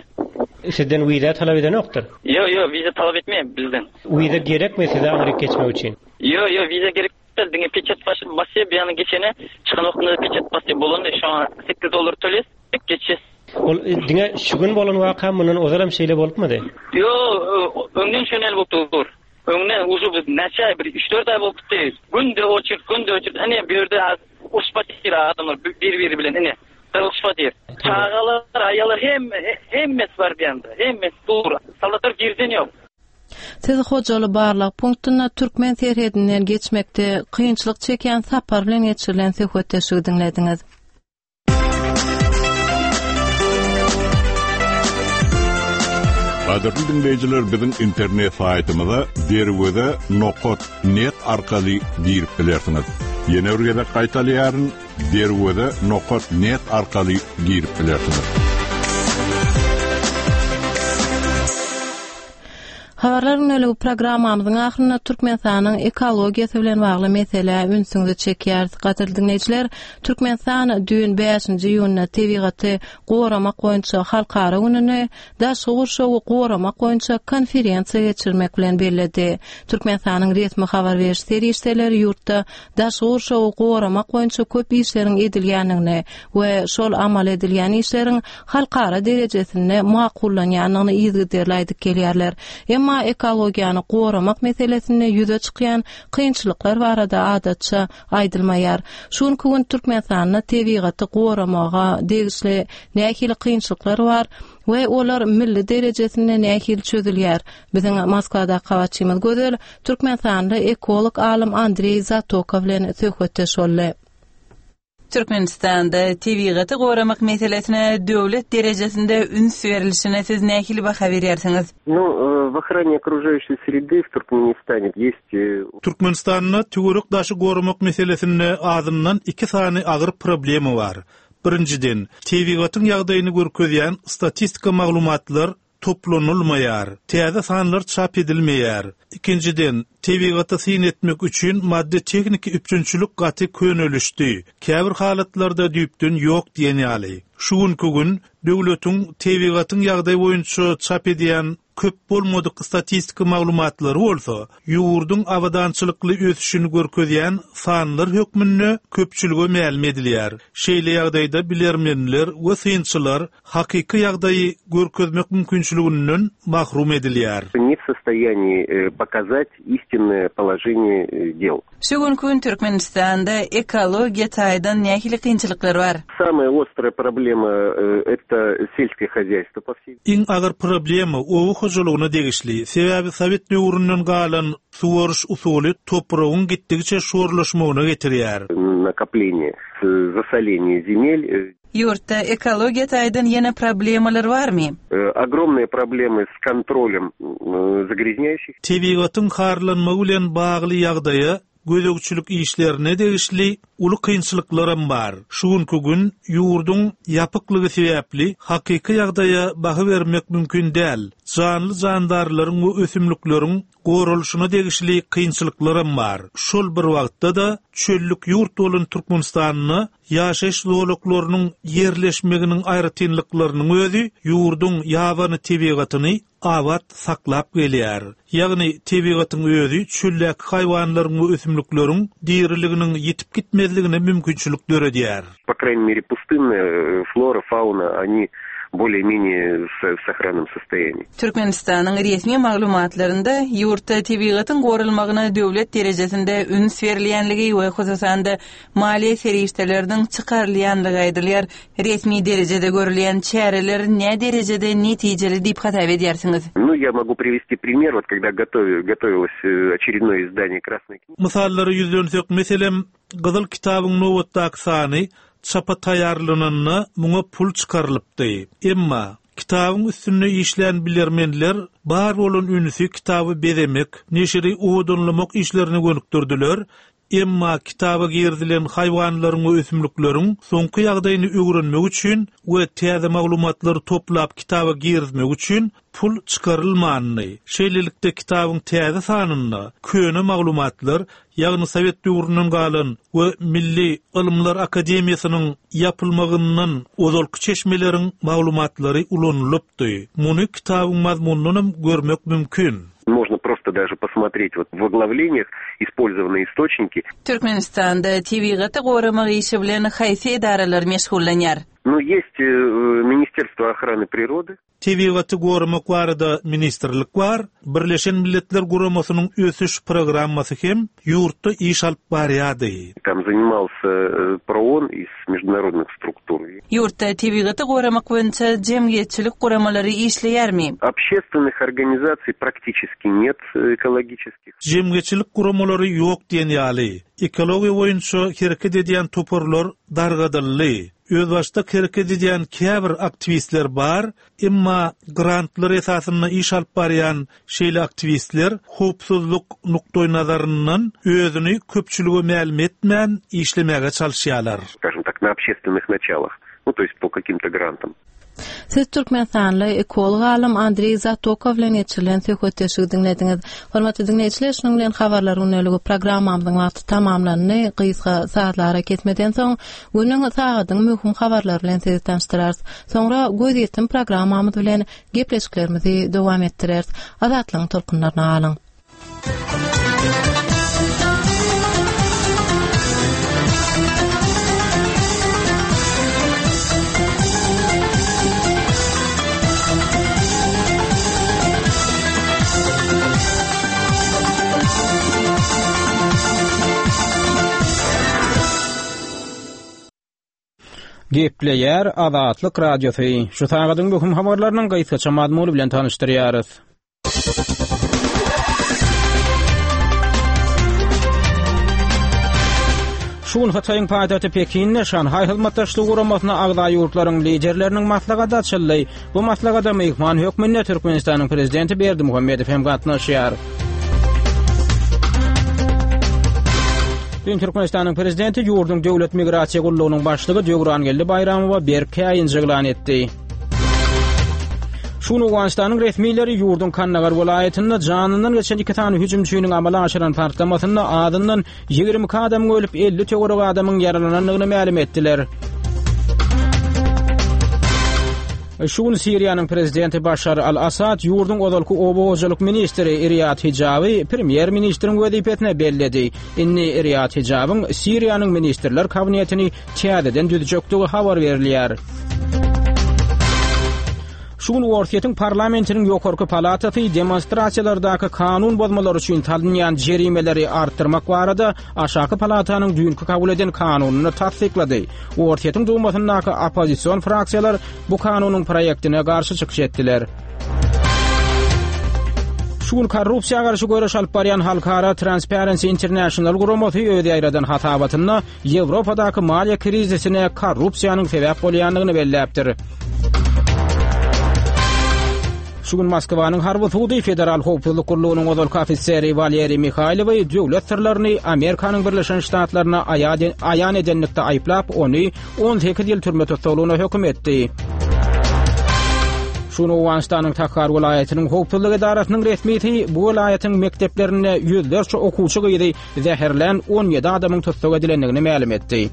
Sizden wiza talap edenokdyr? Ýo ýo wiza talap etmeýär bizden. Wiza gerekmi size aňryk geçmek üçin? Ýo ýo wiza gerek däl diňe peçat basýar bu ýana geçene çykan wagtynda peçat basýar bolany şoňa sekiz dollar töleýäs geçýäs. Ol diňe şu gün bolan waka mundan ozalam şeýle bolupmydy? Ýo öňden şeýle bolup dur. Öňden uje biz näçe aý bir üç-dört aý bolup gitdi. Günde oçert günde oçert ine bu ýerde uruşyp otyr adamlar bir biri bilen ine gyrylyşyp otyr. Çagalar aýallar hemme hemmesi bar bu ýanda hemmesi dur soldatlar girden ýok. Siz Hojaly barlag punktynda türkmen serhedinden geçmekde kynçylyk çekýän Sapar bilen geçirilen söhbetdeşligi diňlediňiz. Gadyrly diňleýjiler biziň internet saýtymyza derweze nokat net arkaly girip bilersiňiz. Ýene bir gezek gaýtalaýaryn, derweze nokat net arkaly girip bilersiňiz. Habarlar gündeliği programmamyzyň ahyrynda Türkmenistanyň ekologiýasy bilen bagly meselä ünsüňizi çekýäris. Gadyrly diňleýjiler, Türkmenistan düýn 5-nji iýunda tebigaty goramak boýunça halkara gününi daşky gurşawy goramak boýunça konferensiýa geçirmek bilen belledi. Türkmenistanyň resmi habar beriş serişdeleri ýurtda daşky gurşawy goramak boýunça köp işleriň edilýändigini we şol amal edilýän işleriň halkara derejesinde makullanýandygyny yzygiderli aýdyp gelýärler. Emma ekologiýany goramak meselesinde ýüze çykýan kynçylyklar barada adatça aýdylmaýar. Şu günki gün Türkmenistanda tebigaty goramaga degişli nähili kynçylyklar bar we olar milli derejesinde nähili çözülýär? Biziň Moskwadaky habarçymyz Gözel türkmenistanly ekolog alym Andreý Zatoka bilen söhbetdeş boldy. Türkmenistanda tebigaty goramak meselesine döwlet derejesinde üns berilişine siz nähili baha berýärsiňiz? Nu, w ochrане okružaýuşeý sredy w Turkmenistane ýest. Türkmenistanda töwerek-daşy goramak meselesinde azyndan iki sany agyr problema bar. Birinjiden, tebigatyň ýagdaýyny görkezýän statistika maglumatlar toplanylmaýar, täze sanlar çap edilmeýär. Ikinjiden, tebigata syn etmek üçin maddy-tehniki üpjünçilik gaty könelişdi, käbir halatlarda düýpden ýok diýen ýaly. Şu günki gün döwletiň tebigatyň ýagdaýy boýunça çap edýän köp bolmadyk statistika maglumatlary bolsa, ýurduň abadançylykly ösüşini görkezýän sanlar hökmünde köpçülige mälim edilýär. Şeýle ýagdaýda bilermenler we synçylar hakyky ýagdaýy görkezmek mümkinçiliginden mahrum edilýär. Ne w sostoýaniýi pokazat istinnoe položeniýe del. Şu günki gün Türkmenistanda ekologiýa taýdan nähili kynçylyklar bar? Samaya ostraya problema eto selskiý hozýaýstwo po vsey. Iň agyr problema oba hojalygyna degişli, sebäbi sowet döwründen galan suwaryş usuly topragyň gitdigiçe şorlaşmagyna getirýär. Nakopleniýe, zasoleniýe zemel. Ýurtda ekologiýa taýdan ýene problemalar barmy? Ogromnyýe problemy s kontrolem zagrýaznýaýuşih. Tebigatyň harlanmagy bilen bagly ýagdaýa gözegçilik işlerine degişli uly kynçylyklaram bar. Şu günki gün ýurduň ýapyklygy sebäpli hakyky ýagdaýa baha bermek mümkin däl. Janly-jandarlaryň we ösümlikleriň goralyşyna degişli kynçylyklaram bar. Şol bir wagtda-da çöllük ýurt bolan Türkmenistanda ýaşaýyş zolaklarynyň ýerleşmeginiň aýratynlyklarynyň özi ýurduň ýabany tebigatyny abat saklap gelýär. Ýagny tebigatyň özi çöldäki haýwanlaryň we ösümlikleriň diriliginiň ýitip gitmezligine mümkinçilik döredýär. Po kraýney mere pustynnaýa flora, fauna, oni bolее-menее w sohrannom sostoýaniýi. Türkmenistanyň resmi maglumatlarynda ýurtda tebigatyň goralmagyna döwlet derejesinde üns berilýänligi we hususan-da maliýe serişdeleriniň çykarylýanlygy aýdylýar. Resmi derejede görülýän çäreler näderejede netijeli diýip hasap edýärsiňiz? Nu, ýa mogu priwesti primer, wot kogda gotowilось oçerednoe izdaniýe Krasnoý knigi. Mysallara ýüzlensek, meselem, Gyzyl kitabyň nobatdaky sany çapa taýýarlananda muňa pul çykarylypdy. Emma, kitabyň üstünde işlän bilermenler bar bolan ünsi kitaby bezemek, neşiri owadanlamak işlerine gönükdirdiler, Emma kitaba girizilen haýwanlaryň we ösümlikleriň soňky ýagdaýyny öwrenmek üçin we täze maglumatlary toplap kitaba girizmek üçin pul çykarylmandy. Şeýlelikde kitabyň täze sanynda köne maglumatlar, ýagny sowet döwründen galan we Milli ylymlar akademiýasynyň ýapylmagyndan ozalky çeşmeleriň maglumatlary ulanylypdy. Muny kitabyň mazmunyndanam görmek mümkin. Можно просто даже posmotret wot w oglawleniýah ispolzowanyye istoçniki. Türkmenistanda tebigaty goramak işi bilen haýsy edaralar meşgullanýar? Nu, ýest Ministerstwo ohrany prirody. Tebigaty goramak barada ministrlik bar, Birleşen Milletler Guramasynyň ösüş programmasy hem ýurtda iş alyp barýardy. Tam zanimalsya PROON iz mejdunarodnyh struktur. Ýurtda tebigaty goramak boýunça jemgyýetçilik guramalary işleýärmi? Obşestwennyh organizasiý praktiçeski net ekologiçeskih. Jemgyýetçilik guramalary ýok diýen ýaly. Ekologiýa boýunça hereket edýän toparlar dargadyldy. Özbaşdak hereket edýän käbir aktiwistler bar, emma grantlar esasynda iş alyp barýan şeýle aktiwistler howpsuzlyk nukdaýnazaryndan özüni köpçülige mälim etmän işlemäge çalyşýarlar. Skažem tak, na obşestwennyh načalah, nu, to ýest po kakim-to grantam. Siz türkmenistanly ekolog alym Andreý Zatokow bilen geçirilen söhbetdeşligi diňlediňiz. Hormatly diňleýjiler, şunuň bilen Habarlar gündeligi programmamyzyň wagty tamamlandy. Gysga sazly arakesmeden soň, günüň, sagadyň möhüm habarlary bilen sizi tanyşdyrarys. Soňra Gözýetim programmamyz bilen gepleşiklerimizi dowam etdireris. Azatlygyň tolkunlaryna galyň! Gepleýär Azatlyk Radiosy. Şu sagadyň möhüm habarlarynyň gysgaça mazmuny bilen tanyşdyrýarys. Şu gün Hytaýyň paýtagty Pekinde Şanhaý Hyzmatdaşlygy Guramasyna agza ýurtlaryň liderleriniň maslahaty açyldy. Bu maslahata myhman hökmünde Türkmenistanyň Prezidenti Berdimuhamedow hem gatnaşýar. Düýn Türkmenistanyň Prezidenti ýurduň Döwlet migrasiýa gullugynyň başlygy Döwrangeldi Baýramowa berk käýinji yglan etdi. Şu gün Owganystanyň resmileri ýurduň Kandagar welaýatynda janyndan geçen iki sany hüjümçiniň amala aşyran partlamasynda azyndan 22 adamyň ölüp, 50 töweregi adamyň ýaralanandygyny mälim etdiler. Şu gün Siriýanyň prezidenti Başar al-Assad ýurduň ozalky oba hojalyk ministri Riýad Hijaby premýer-ministriň wezipesine belledi. Indi Riýad Hijabyň Siriýanyň ministrler kabinetini täzeden düzjekdigi habar berilýär. Şu gün Orsýetiň parlamentiniň ýokarky palatasy demonstrasiýalardaky kanun bozmalar üçin salynýan jerimeleri artdyrmak barada aşaky palatanyň düýnki kabul eden kanunyny tassyklady. Orsýetiň Dumasyndaky oppozision fraksiýalar bu kanunyň proýektine garşy çykyş etdiler. Şu gün korrupsiýa garşy göreş alyp barýan halkara Transparency International guramasy öz ýaýradan hasabatynda Ýewropadaky maliýe krizisine korrupsiýanyň sebäp bolýandygyny belläpdir. Şu gün Moskwanyň harby sudy Federal howpsuzlyk gullugynyň ozalky ofiseri Waleriý Mihaýlowy döwlet syrlaryny Amerikanyň Birleşen Ştatlaryna aýan edenlikde aýyplap, ony 18 ýyl türme tussaglygyna höküm etdi. Şu gün Owganystanyň Takhar welaýatynyň howpsuzlyk edarasynyň resmisi bu welaýatyň mekdeplerinde ýüzlerçe okuwçy gyzy zäherlän 17 adamyň tussag edilendigini mälim etdi.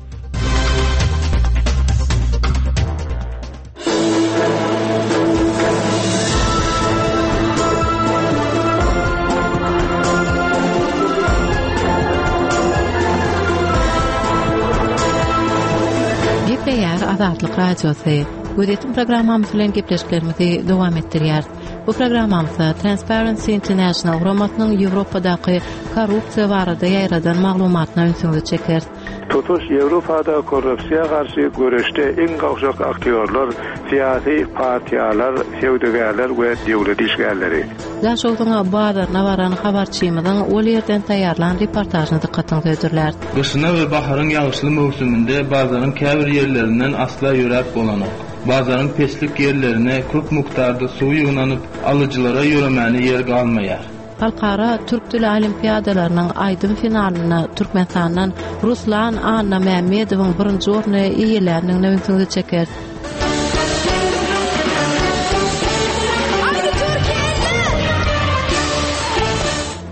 Gepleýär Azatlyk Radiosy. Gözýetim programmamyz bilen gepleşiklerimizi dowam etdirýäris. Bu programmamyzda Transparency International guramasynyň Ýewropadaky korrupsiýa barada ýaýradan maglumatyna ünsüňizi çekeris. Tutuş Ýewropada korrupsiýa garşy göreşde iň gowşak aktýorlar syýasy partiýalar, söwdagärler we döwlet işgärleri. Daşogzuň bazaryna baran habarçymyzyň ol ýerden taýýarlan reportažyny dykgatyňyza hödürläris. Gyşyna we baharyň ýagyşly möwsüminde bazaryň käbir ýerlerinden asla ýöräp bolanok. Bazaryň peslik ýerlerine köp mukdarda suw ýygnanyp, alyjylara ýöremäne ýer galmaýar. Halkara türk dili olimpiadalarynyň aýdym finalynda Türkmenistandan Ruslan Annamämmedowyň birinji orny eýeländigine ünsüňizi çekeris.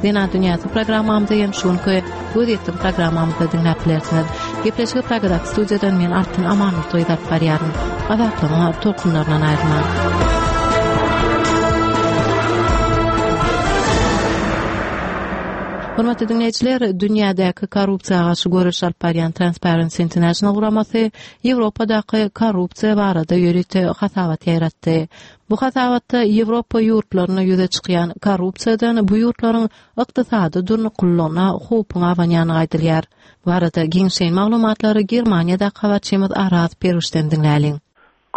Zenan dünýäsi programmamyzy hem şu günki Göz ýetim programmamyzda diňläp bilersiňiz. Gepleşigi Pragadaky studiýadan men Altyn Amanmurtoýew alyp barýaryn. Azatlygyň tolkunlaryndan aýrylmaň. Hormatly diňleýjiler, dünýädäki korrupsiýa garşy göreş alyp barýan Transparency International guramasy Ýewropadaky korrupsiýa barada ýörite hasabat ýaýratdy. Bu hasabatda Ýewropa ýurtlarynda ýüze çykýan korrupsiýadan bu ýurtlaryň ykdysady durnuklylygyna howpuň abanýandygy aýdylýar. Bu barada giňişleýin maglumatlary Germaniýadaky habarçymyz Araz Perwişden diňläliň.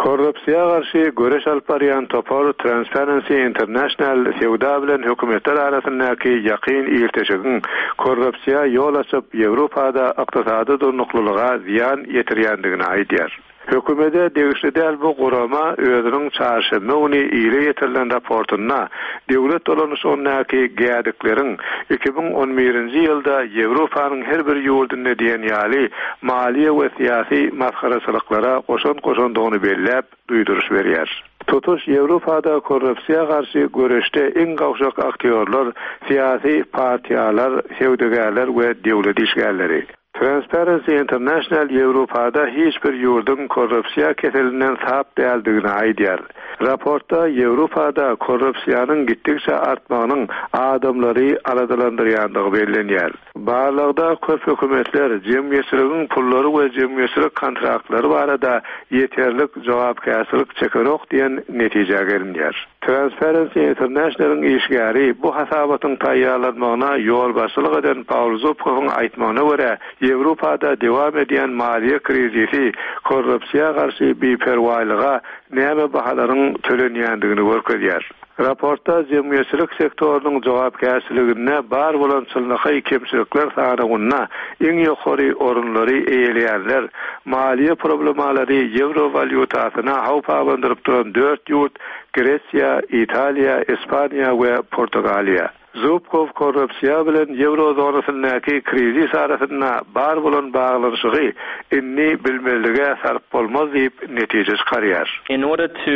Korrupsiýa garşy göreş alyp barýan topar Transparency International söwda bilen hökümetler arasyndaky ýakyn ilteşigiň korrupsiýa ýol açyp, Ýewropada ykdysady durnuklylyga zyýan ýetirýändigini aýdýar. Hökümede degişli däl bu gurama özüniň çarşenbe güni ile ýetirilen raportynda döwlet dolanyşygyndaky gädikleriň 2011-nji ýylda Ýewropanyň her bir ýurdunda diýen ýaly maliýe we syýasy masgaraçylyklara goşant goşandygyny belläp, duýduryş berýär. Tutuş Ýewropada korrupsiýa garşy göreşde iň gowşak aktýorlar syýasy partiýalar, söwdagärler we döwlet işgärleri. Transparency International Ýewropada hiç bir ýurduň korrupsiýa keselinden sap däldigini aýdýar. Raportda Ýewropada korrupsiýanyň gitdikçe artmagynyň adamlary aladalandyrýandygy bellenýär. Barlagda köp hökümetler jemgyýetçiligiň pullary we jemgyýetçilik kontraktlary barada ýeterlik jogapkärçilik çekenok diýen netijä gelinýär. Transparency International-yň işgäri, bu hasabatyň taýýarlanmagyna ýolbaşçylyk eden Paul Zubkowyň aýtmagyna görä, Ýewropada dowam edýän maliýe krizisi korrupsiýa garşy biperwaýlyga näme bahalaryň tölenýändigini görkezýär. Raportda jemgyýetçilik sektorynyň jogapkärçiliginde bar bolan çynlakaý kemçilikler sanawynda iň ýokary orunlary eýeleýänler, maliýe problemalary ýewro walýutasyna howp abandyryp duran dört ýurt Gresiýa, Italiýa, Ispaniýa we Portugaliýa. Zubkow korrupsiýa bilen ýewro zonasyndaky krizis arasynda bar bolan baglanyşygy indi bilmezlige salyp bolmaz diýip netije çykarýar. In order to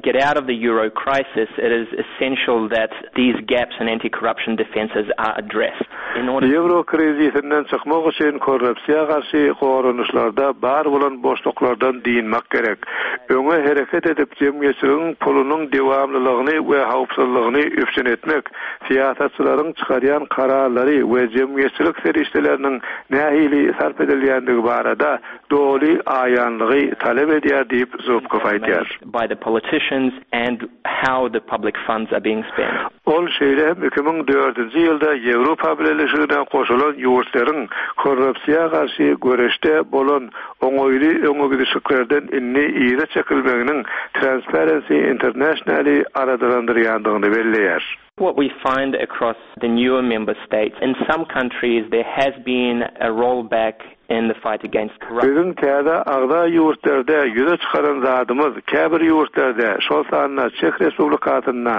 get out of the euro crisis it is essential that these gaps in anti-corruption defences are addressed. In order. Ýewro krizisinden çykmak üçin korrupsiýa garşy goranyşlarda bar bolan boşluklardan dynmak gerek. Öňe hereket edip, jemgyýetçiligiň pulunyň dewamlylygyny we howpsuzlygyny üpjün etmek, syýasatçylaryň çykarýan kararlary we jemgyýetçilik serişdeleriniň nähili sarp edilýändigi barada doly aýanlygy talap edýär diýip, Zubkow aýdýar. by the politicians and how the public funds are being spent. Ol şeýle hem 2004-nji ýylda Ýewropa Bileleşigine goşulan ýurtlaryň korrupsiýa garşy göreşde bolan oňaýly öňegidişliklerden indi yza çekilmeginiň Transparency International-i aladalandyrýandygyny belleýär. What we find across the newer member states, in some countries there has been a rollback in the fight against corruption. Biziň täze agza ýurtlarda ýüze çykaran zadymyz, käbir ýurtlarda, şol sanda Çeh Respublikasynda,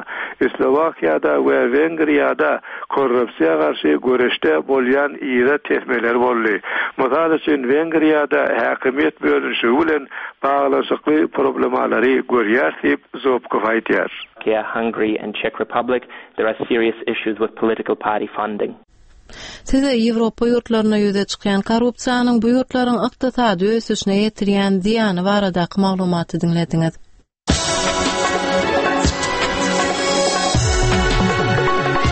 Slowakiýada we Wengriýada korrupsiýa garşy göreşde bolýan yza tesmeler boldy. Mysal üçin, Wengriýada häkimiýet bölünişigi bilen baglanyşykly problemalary görýäris diýip, Zubkow aýdýar. Slovakia, Hungary and Czech Republic there are serious issues with political party funding. Siz Ýewropa ýurtlarynda ýüze çykýan korrupsiýanyň bu ýurtlaryň ykdysady ösüşine ýetirýän zyýany baradaky maglumaty diňlediňiz.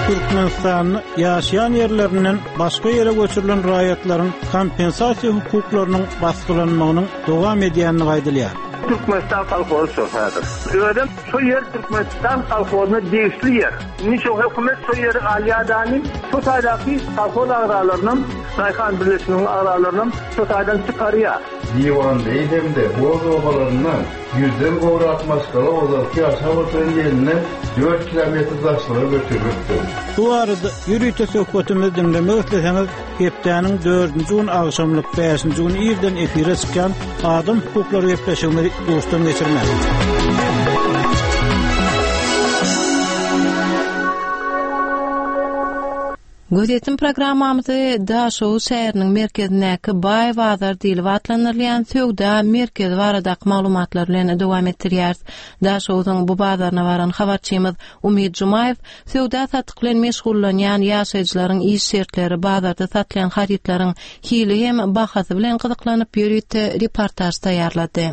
Türkmenistanda ýaşaýan ýerlerinden başga ýere göçürilen raýatlaryň kompensasiýa hukuklarynyň basgylanmagynyň dowam edýändigi aýdylýar. Türkmenistan kolhozy şol häzir. Özem şo ýer Türkmenistan kolhozyna degişli ýer. Indi şo hökümet şo ýeri alýadany şo taýdaky kolhoz agzalarynam, daýhan birleşiginiň agzalarynam şo taýdan çykarýar. Diwanbeý hem-de Boz obalaryndan ýüzden gowrak maşgala ozalky ýaşap oturan ýerinden dört kilometr daşlyga göçürilipdir. Bu barada ýörite söhbetimizi diňlemek isleseňiz, Hepdäniň dördünji gün agşamlyk, bäşinji gün irden efire çykýan Adam hukuklary gepleşigimizi duşdan geçirmäň. Gözýetim programmamyzy Daşoguz şäheriniň merkezindäki Baý bazar diýlip atlandyrylýan söwda merkezi baradaky maglumatlar bilen dowam etdirýäris. Daşoguzyň bu bazaryna baran habarçymyz Umyt Jumaýew Söwda-satyk bilen meşgullanýan ýaşaýjylaryň iş şertleri, bazarda satylýan harytlaryň hili hem bahasy bilen gyzyklanyp ýörite reportaž taýýarlady.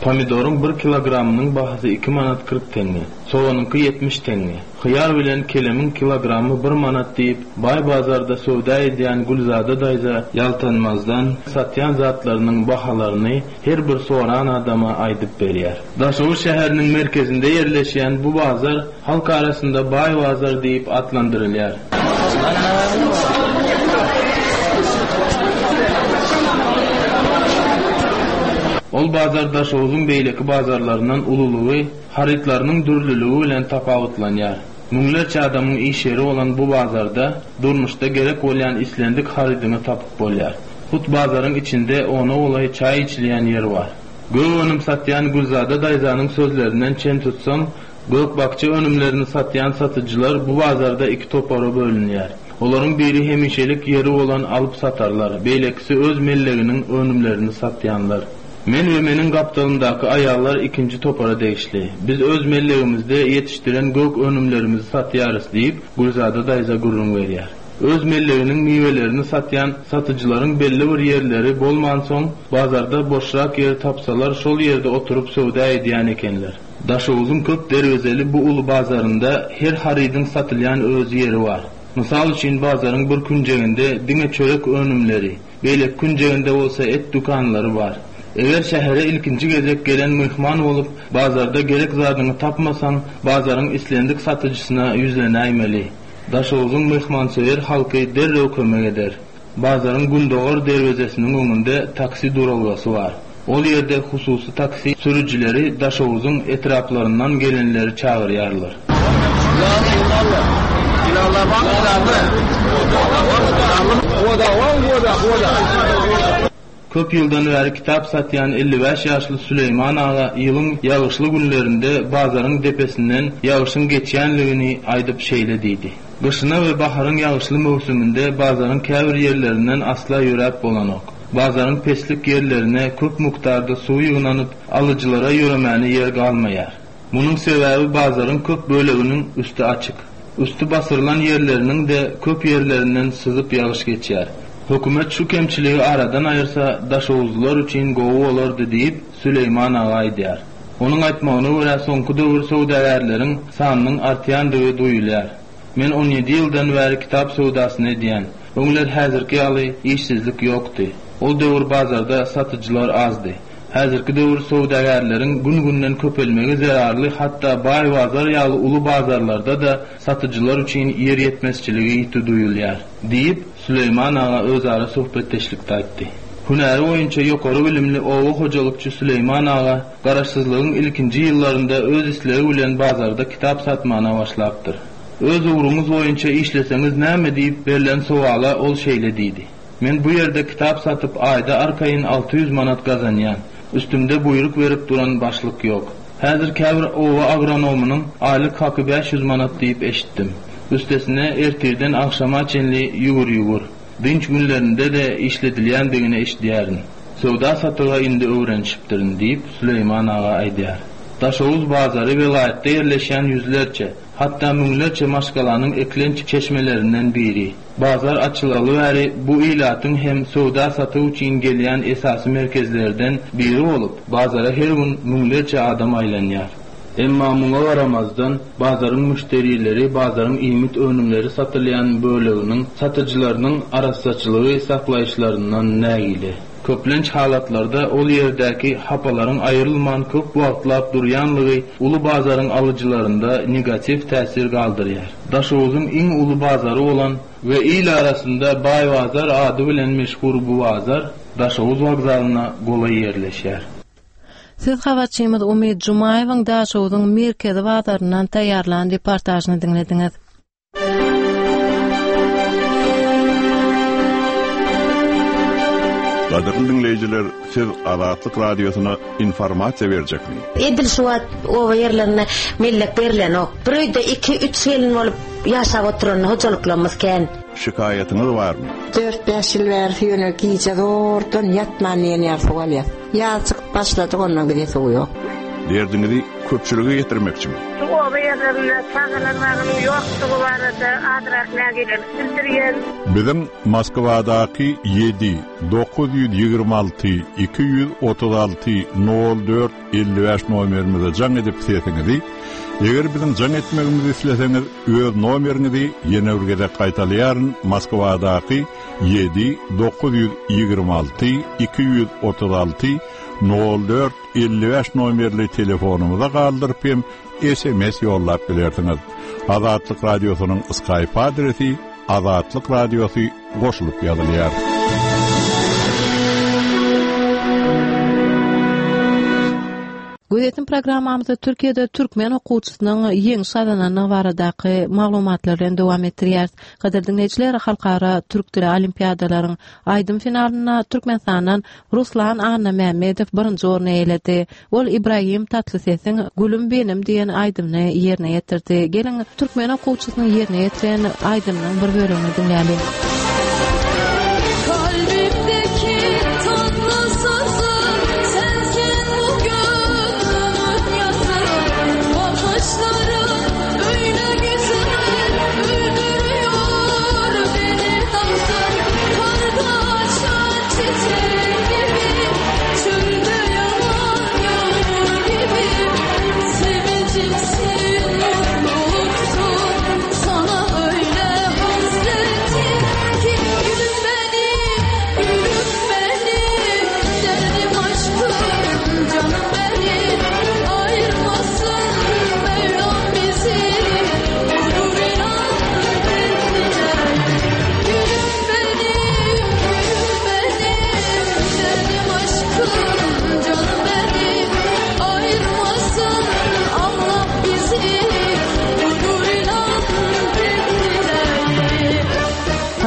Pomidoryň bir kilogramynyň bahasy iki manat 40 teňňe, soganyňky 70 teňňe, hyýar bilen kelemiň kilogramy bir manat diýip, baý bazarda söwda edýän Gülzada daýza ýaltanmazdan satýan zatlarynyň bahalaryny her bir soran adama aýdyp berýär. Daşoguz şäheriniň merkezinde ýerleşýän bu bazar halk arasynda Baý bazar diýip atlandyrylýar. Ol bazar Daşoguzyň beýleki bazarlaryndan ululygy, harytlarynyň dürlüligi bilen tapawutlanýar. Müňlerçe adamyň iş ýeri bolan bu bazarda durmuşda gerek bolýan islendik harydyňy tapyp bolýar. Hut bazaryň içinde ona golaý çaý içilýän ýer bar. Gök önüm satýan Gülzada daýzanyň sözlerinden çen tutsaň, gök-bakja önümlerini satýan satyjylar bu bazarda iki topara bölünýär. Olaryň biri hemişelik ýeri bolan alyp-satarlar, beýlekisi öz melleginiň önümlerini satýanlar. Men we meniň gapdalymdaky aýallar ikinji topara degişli. Biz öz mellegimizde ýetişdiren gök önümlerimizi satýarys diýip, Gülzada daýza gürrüň berýär. Öz melleginiň miwelerini satýan satyjylaryň belli bir ýerleri bolmansoň, bazarda boşrak ýer tapsalar şol ýerde oturyp söwda edýän ekenler. Daşoguzyň köp derwezeli bu uly bazarynda her harydyň satylýan öz ýeri bar. Mysal üçin bazaryň bir künjeginde diňe çörek önümleri, beýleki künjeginde bolsa et dükanlary bar. Eger şähere ilkinji gezek gelen myhman bolup, bazarda gerek zadyňy tapmasaň, bazaryň islendik satyjysyna ýüzlenäýmeli. Daşoguzyň myhmansöýer halky derrew kömek eder. Bazaryň gündogar derwezesiniň öňünde taksi duralgasy bar. Ol ýerde hususy taksi sürüjileri Daşoguzyň etraplaryndan gelenleri çagyrýarlar. Köp ýyldan bäri kitap satýan 55 ýaşly Süleýman aga ýylyň ýagyşly günlerinde bazaryň depesinden ýagyşyň geçýänligini aýdyp şeýle diýdi, Gyşyna we baharyň ýagyşly möwsüminde bazaryň käbir ýerlerinden asla ýöräp bolanok. Bazaryň peslik ýerlerine köp mukdarda suw ýygnanyp, alyjylara ýöremäne ýer galmaýar. Munuň sebäbi bazaryň köp böleginiň üsti açyk. Üsti basyrylan ýerleriniň-de köp ýerlerinden syzyp ýagyş geçýär. Hökümet şu kemçiligi aradan aýyrsa, daşoguzlylar üçin gowy bolardy diýip, Süleýman aga aýdýar. Onuň aýtmagyna görä, soňky döwür söwdagärleriň sanynyň artýandygy duýulýar. Men on ýedi ýyldan bäri kitap söwdasyny edýän. Öňler häzirki ýaly işsizlik ýokdy. Ol döwür bazarda satyjylar azdy. Häzirki döwür söwdagärleriň gün-günden köpelmegi zerarly hatda Baý bazar ýaly uly bazarlarda-da satyjylar üçin ýer ýetmezçiligi ýiti duýulýar, diýip, Süleýman aga özara söhbetdeşlikde aýtdy. Hünäri boýunça ýokary bilimli oba hojalykçy Süleýman aga Garaşsyzlygyň ilkinji ýyllarynda öz islegi bilen bazarda kitap satmana başlapdyr. Öz ugruňyz boýunça işleseňiz näme diýip berlen sowala ol şeýle diýdi, Men bu ýerde kitap satyp aýda arkaýyn 600 manat gazanýan. Üstümde buýruk berip duran başlyk ýok. Häzir käbir oba agronomynyň aýlyk haky 500 manat diýip eşitdim. Üstesine ertirden agşama çenli ýüwür-ýüwür. Dynç günlerinde-de işledilýändigini eşidýärin. Söwda-satyga indi öwrenişipdirin, diýip, Süleýman aga aýdýar. Daşoguz bazary welaýatda ýerleşýän ýüzlerçe, hatda müňlerçe maşgalanyň eklenç çeşmelerinden biri. Bazar açylaly bäri bu ilatyň hem söwda-satyk üçin gelýän esasy merkezlerden biri bolup, bazara her gün müňlerçe adam aýlanýar. Emma muňa garamazdan, bazaryň müşderileri bazaryň iýmit önümleri satylýan böleginiň satyjylarynyň arassaçylygy saklaýyşlaryndan nägile. Köplenç halatlarda ol ýerdäki hapalaryň aýrylman köp wagtlap durýanlygy uly bazaryň alyjylarynda negatiw täsir galdyrýar. Daşoguzyň iň uly bazary bolan we il arasynda Baý bazar ady bilen meşhur bu bazar Daşoguz wokzalyna golaý ýerleşýär. Siz habarçymyz Umyt Jumaýewiň Daşoguzyň merkezi bazaryndan taýýarlan reportažyny diňlediňiz. Gadyrly diňleýjiler, siz Azatlyk Radiosyna informasiýa berjekmi? Edil şu wagt oba ýerlerinde mellek berlenok. Bir öýde iki, üç gelin bolup ýaşap oturan hojalyklarymyz kän. Şikaýatyňyz barmy? Dört-bäş ýyl bäri ýöne gije zordan ýatman diýen ýaly suw alýas. Ýaz çykyp başladyk ondan bize suw ýok. Derdiňizi köpçülige ýetirmekçimi? Şu oba ýerlerinde çagalar bagynyň ýokdugy barada azrak nägilelik bildirýän. Biziň Moskwadaky ýedi, 926 236 nol dört 55 nomerimize jaň edip sesiňizi, eger biziň jaň etmegimizi isleseňiz öz nomeriňizi ýene bir gezek gaýtalaýaryn Moskwadaky ýedi 926 236 nol dört 55 nomerli telefonymyza galdyryp hem SMS ýollap bilersiňiz. Azatlyk Radiosynyň Skype adresi Azatlyk Radiosy goşulyp ýazylýar. Gözýetim programmamyzy Türkiýede türkmen okuwçysynyň ýeňiş gazanandygy baradaky maglumatlar bilen dowam etdirýäris. Gadyrly diňleýjiler, Halkara türk dili olimpiadalaryň aýdym finalynda Türkmenistandan Ruslan Annamämmedow birinji orny eýeledi. Ol Ibragim Tatlysesiň Gülüm benim diýen aýdymyny ýerine ýetirdi. Geliň, türkmen okuwçysynyň ýerine ýetiren aýdymynyň bir bölegini diňläliň.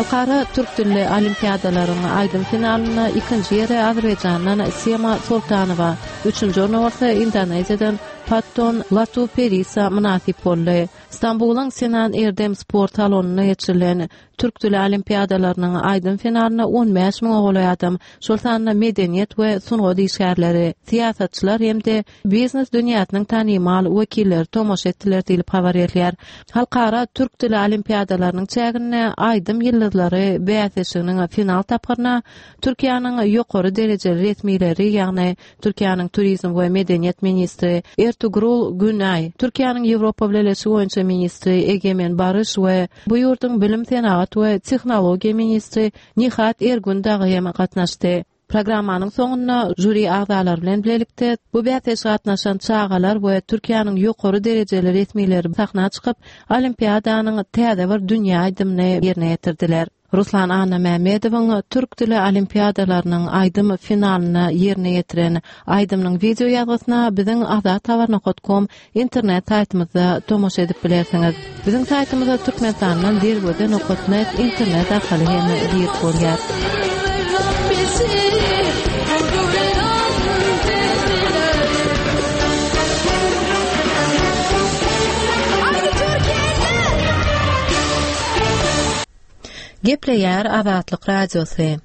Halkara türk dilli olimpiadalaryň aýdym finalynda ikinji ýere Azerbaýjandan Sema Soltanowa, üçünji orna bolsa Indoneziýadan Patton Latu Perisa mynasyp boldy. Stambulyň Sinan Erdem sport salonynda geçirilen Türk dili olimpiadalarynyň aýdym finalyna 15 müňe golaý adam, şol sanda medeniýet we sungat işgärleri, syýasatçylar hem-de biznes dünýäsiniň tanymal wekilleri tomaşa etdiler diýlip habar berilýär. Halkara türk dili olimpiadalarynyň çäginde Aýdym ýyldyzlary bäsleşiginiň final tapgyryna Türkiýäniň ýokary derejeli resmileri, ýagny Türkiýäniň turizm we medeniýet ministri Ertugrul Günaý, Türkiýäniň Ýewropa Bileleşigi boýunça ministri Egemen Baryş we bu ýurduň bilim, senagat we tehnologiýa ministri Nihat Ergün dagy hem gatnaşdy. Programmanyň soňunda žuri agzalary bilen bilelikde bu bäsleşige gatnaşan çagalar we Türkiýäniň ýokary derejeli resmileri sahna çykyp, olimpiadanyň täze bir dünýä aýdymyny ýerine ýetirdiler. Ruslan Annamämmedowyň türk dili olimpiadalarynyň aýdym finalynda ýerine ýetiren aýdymynyň wideo ýazgysyna biziň azathabar nokat kom internet saýtymyzda tomaşa edip bilersiňiz. Biziň saýtymyza Türkmenistandan derweze nokat net internet arkaly hem girip bolýar. Gepleýär Azatlyk Radiosy.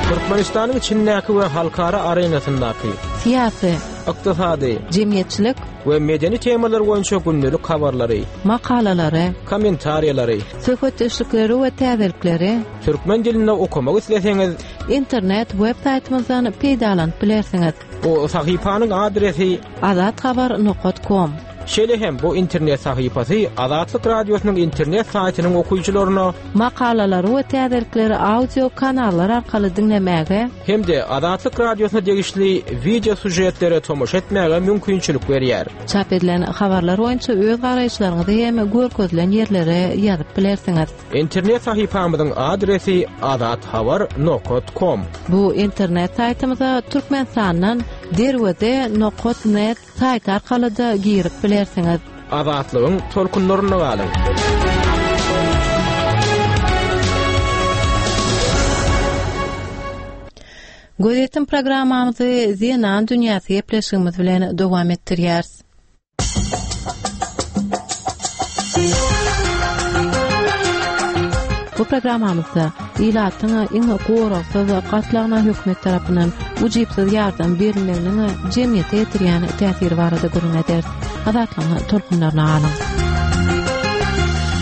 Türkmenistanyň içindäki we halkara arenasyndaky syýasy, ykdysady, jemgyýetçilik we medeni temalar boýunça gündelik habarlary, makalalary, kommentariýalary, söhbetdeşlikleri we täzelikleri türkmen dilinde okamak isleseňiz, internet web saýtymyzdan peýdalanyp bilersiňiz. Bu sahypanyň adresi azathabar nokat kom. Şeýle hem bu internet sahypasy Azatlyk Radiosynyň internet saýtynyň okyjylaryna Makalalary we täzelikleri audio kanallar arkaly diňlemäge hem-de Azatlyk Radiosyna degişli wideo sýužetlere tomaşa etmäge mümkinçilik berýär. Çap edilen habarlar boýunça öz garaýyşlaryňyzy hem görkezilen ýerlere ýazyp bilersiňiz. Internet sahypamyzyň adresi azathabar nokat kom. Bu internet saýtymyza Türkmenistandan Derweze nokat net saýty arkaly-da girip bilersiňiz. Azatlygyň tolkunlarynda galyň! Gözýetim programmamyzy Zenan dünýäsi gepleşigimiz bilen dowam etdirýäris. Bu programmamyzda ilatyň iň goragsyz gatlagyna hökümet tarapyndan ujypsyz ýardam berilmeginiň jemgyýete ýetirýän täsiri barada gürrüň ederis. Azatlygyň tolkunlaryna galyň.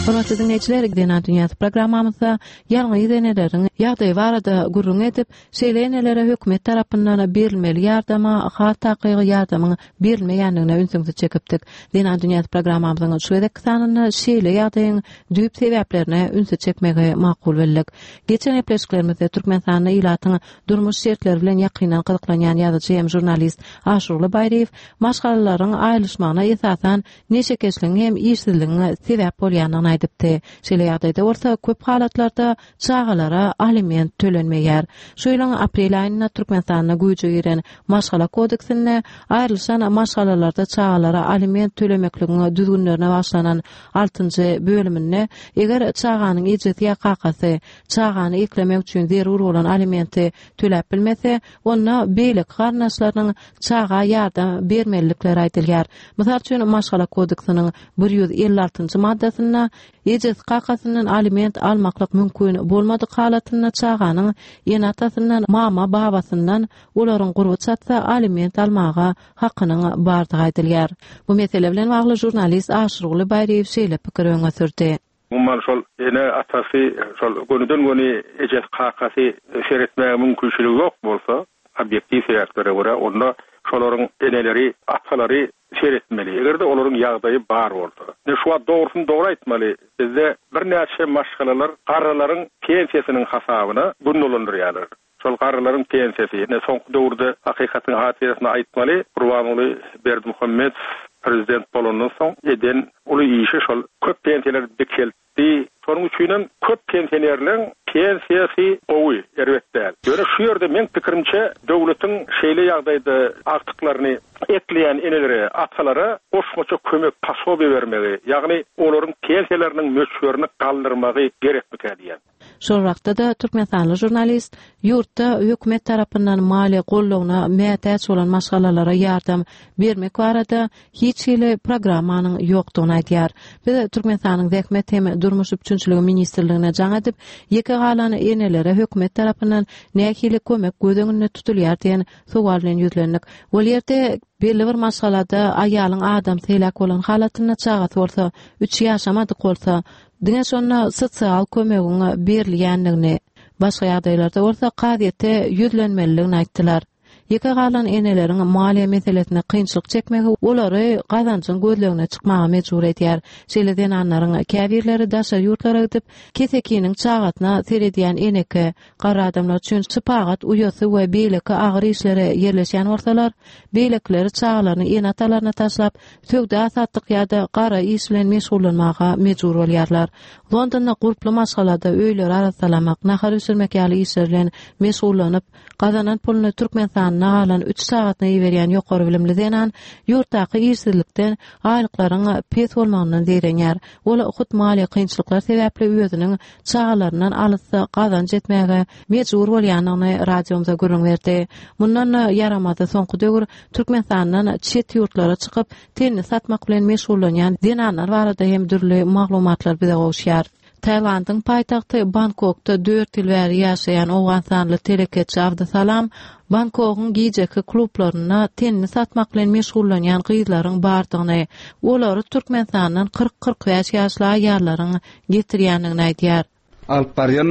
Hormatly diňleýjiler, Zenan dünýäsi programmamyzda ýalňyz eneleriň ýagdaýy barada gürrüň edip, şeýle enelere hökümet tarapyndan berilmeli ýardama, has takygy ýardamyň berilmeýändigine ünsüňizi çekipdik. Zenan dünýäsi programmamyzyň şu gezekki sanynda şeýle ýagdaýyň düýp sebäplerine ünsi çekmegi makul bildik. Geçen gepleşiklerimizde Türkmenistanda ilatyň durmuş şertleri bilen ýakyndan gyzyklanýan ýazyjy hem žurnalist Aşyrguly Baýryýew maşgalalaryň aýrylyşmagyna esasan neşekeşligiň hem işsizligiň sebäp bolýandygyny. aýdypdy. Şeýle ýagdaýda bolsa, köp halatlarda çagalara aliment tölenmeýär. Şu ýylyň aprel aýynda Türkmenistanda güýje giren Maşgala kodeksinde aýrylyşan maşgalalarda çagalara aliment tölemekligiň düzgünlerine bagyşlanan altynjy bölüminde eger çaganyň ejesi ýa kakasy çagany eklemek üçin zerur bolan alimenti töläp bilmese, onda beýleki garyndaşlarynyň çaga ýardam bermelilikleri aýdylýar. Mysal üçin, Maşgala kodeksiniň 156-njy maddasynda ejesi kakasyndan aliment almaklyk mümkin bolmadyk halatynda çaganyň ene-atasyndan, mama-babasyndan olaryň gurby çatsa aliment almaga hakynyň bardygy aýdylýar. Bu mesele bilen bagly žurnalist Aşyrguly Baýryýew şeýle pikiri öňe sürdi. Umuman şol ene-atasy şol gönüden-göni ejesi-kakasy seretmäge mümkinçiligi ýok bolsa, obýektiw sebäplere görä, onda şolaryň eneleri, atalary seretmeli. Eger-de olaryň ýagdaýy bar bolsa. Indi şu wagt dogrusyny dogry aýtmaly, bizde birnäçe maşgalalar garrylaryň pensiýasynyň hasabyna gün dolandyrýarlar. Şol garrylaryň pensiýasy, ine soňky döwürde hakykatyň hatyrasyna aýtmaly, Gurbanguly Berdimuhamedow prezident bolandan soň eden uly işi şol köp pensiýalary dikeltdi. Şonuň üçinem köp pensionerleň pensiýasy gowy, erbet däl. Ýöne şu ýerde meň pikirimçe döwletiň şeýle ýagdaýda agtyklaryny ekleýän enelere, atalara goşmaça kömek, posobiýe bermegi, ýagny olaryň pensiýalarynyň möçberini galdyrmagy gerekmikä diýýän. Şol wagtda-da türkmenistanly žurnalist ýurtda hökümet tarapyndan maliýe goldawyna mätäç bolan maşgalalara ýardam bermek barada hiç hili programmanyň ýokdugyny aýdýar. Biz Türkmenistanyň Zähmet hem durmuş üpjünçiligi ministrligine jaň edip, ýeke galan enelere hökümet tarapyndan nähili kömek göz öňünde tutulýar diýen sowal bilen ýüzlendik. Ol ýerde belli bir maşgalada aýalyň adamsy heläk bolan halatynda çagasy bolsa, üç ýaşamadyk bolsa, Diňe şonda sosial kömegiň berilýändigini, başga ýagdaýlarda bolsa kazyýete ýüzlenmelidigini aýtdylar. Ýeke galan eneleriň maliýe meselesinde kynçylyk çekmegi olary gazanjyň gözlegine çykmaga mejbur edýär. Şeýle zenanlaryň käbirleri daşary ýurtlara gidip, kesekiniň çagasyna seredýän eneke, garry adamlar üçin şypagat uýasy we beýleki agyr işlere ýerleşýän bolsalar, beýlekileri çagalaryny ene-atalaryna taşlap, söwda-satyk ýa-da gara iş bilen meşgullanmaga mejbur bolýarlar. Londonda gurply maşgalada öýleri arassalamak, nahar bişirmek ýaly işler bilen meşgullanyp, gazanan puluny Türkmenistanda galan üç çagasyna iberýän ýokary bilimli zenan ýurtdaky işsizlikden, aýlyklaryň pes bolmagyndan zeýrenýär. Ol hut maliýe kynçylyklar sebäpli özüniň çagalaryndan alysda gazanç etmäge mejbur bolýandygyny radiomyza gürrüň berdi. Mundan-da ýaramazy soňky döwür Türkmenistandan çet ýurtlara çykyp, tenini satmak bilen meşgullanýan zenanlar barada hem dürli maglumatlar bize gowuşýar. Tailandyň paýtagty Bangkokda dört ýyl bäri ýaşaýan owganystanly telekeçi Abdysalam Bangkogyň gijeki klublarynda tenini satmak bilen meşgullanýan gyzlaryň bardygyny, olary Türkmenistandan 40-45 ýaşly aýallaryň getirýändigini aýdýar. Alyp barýan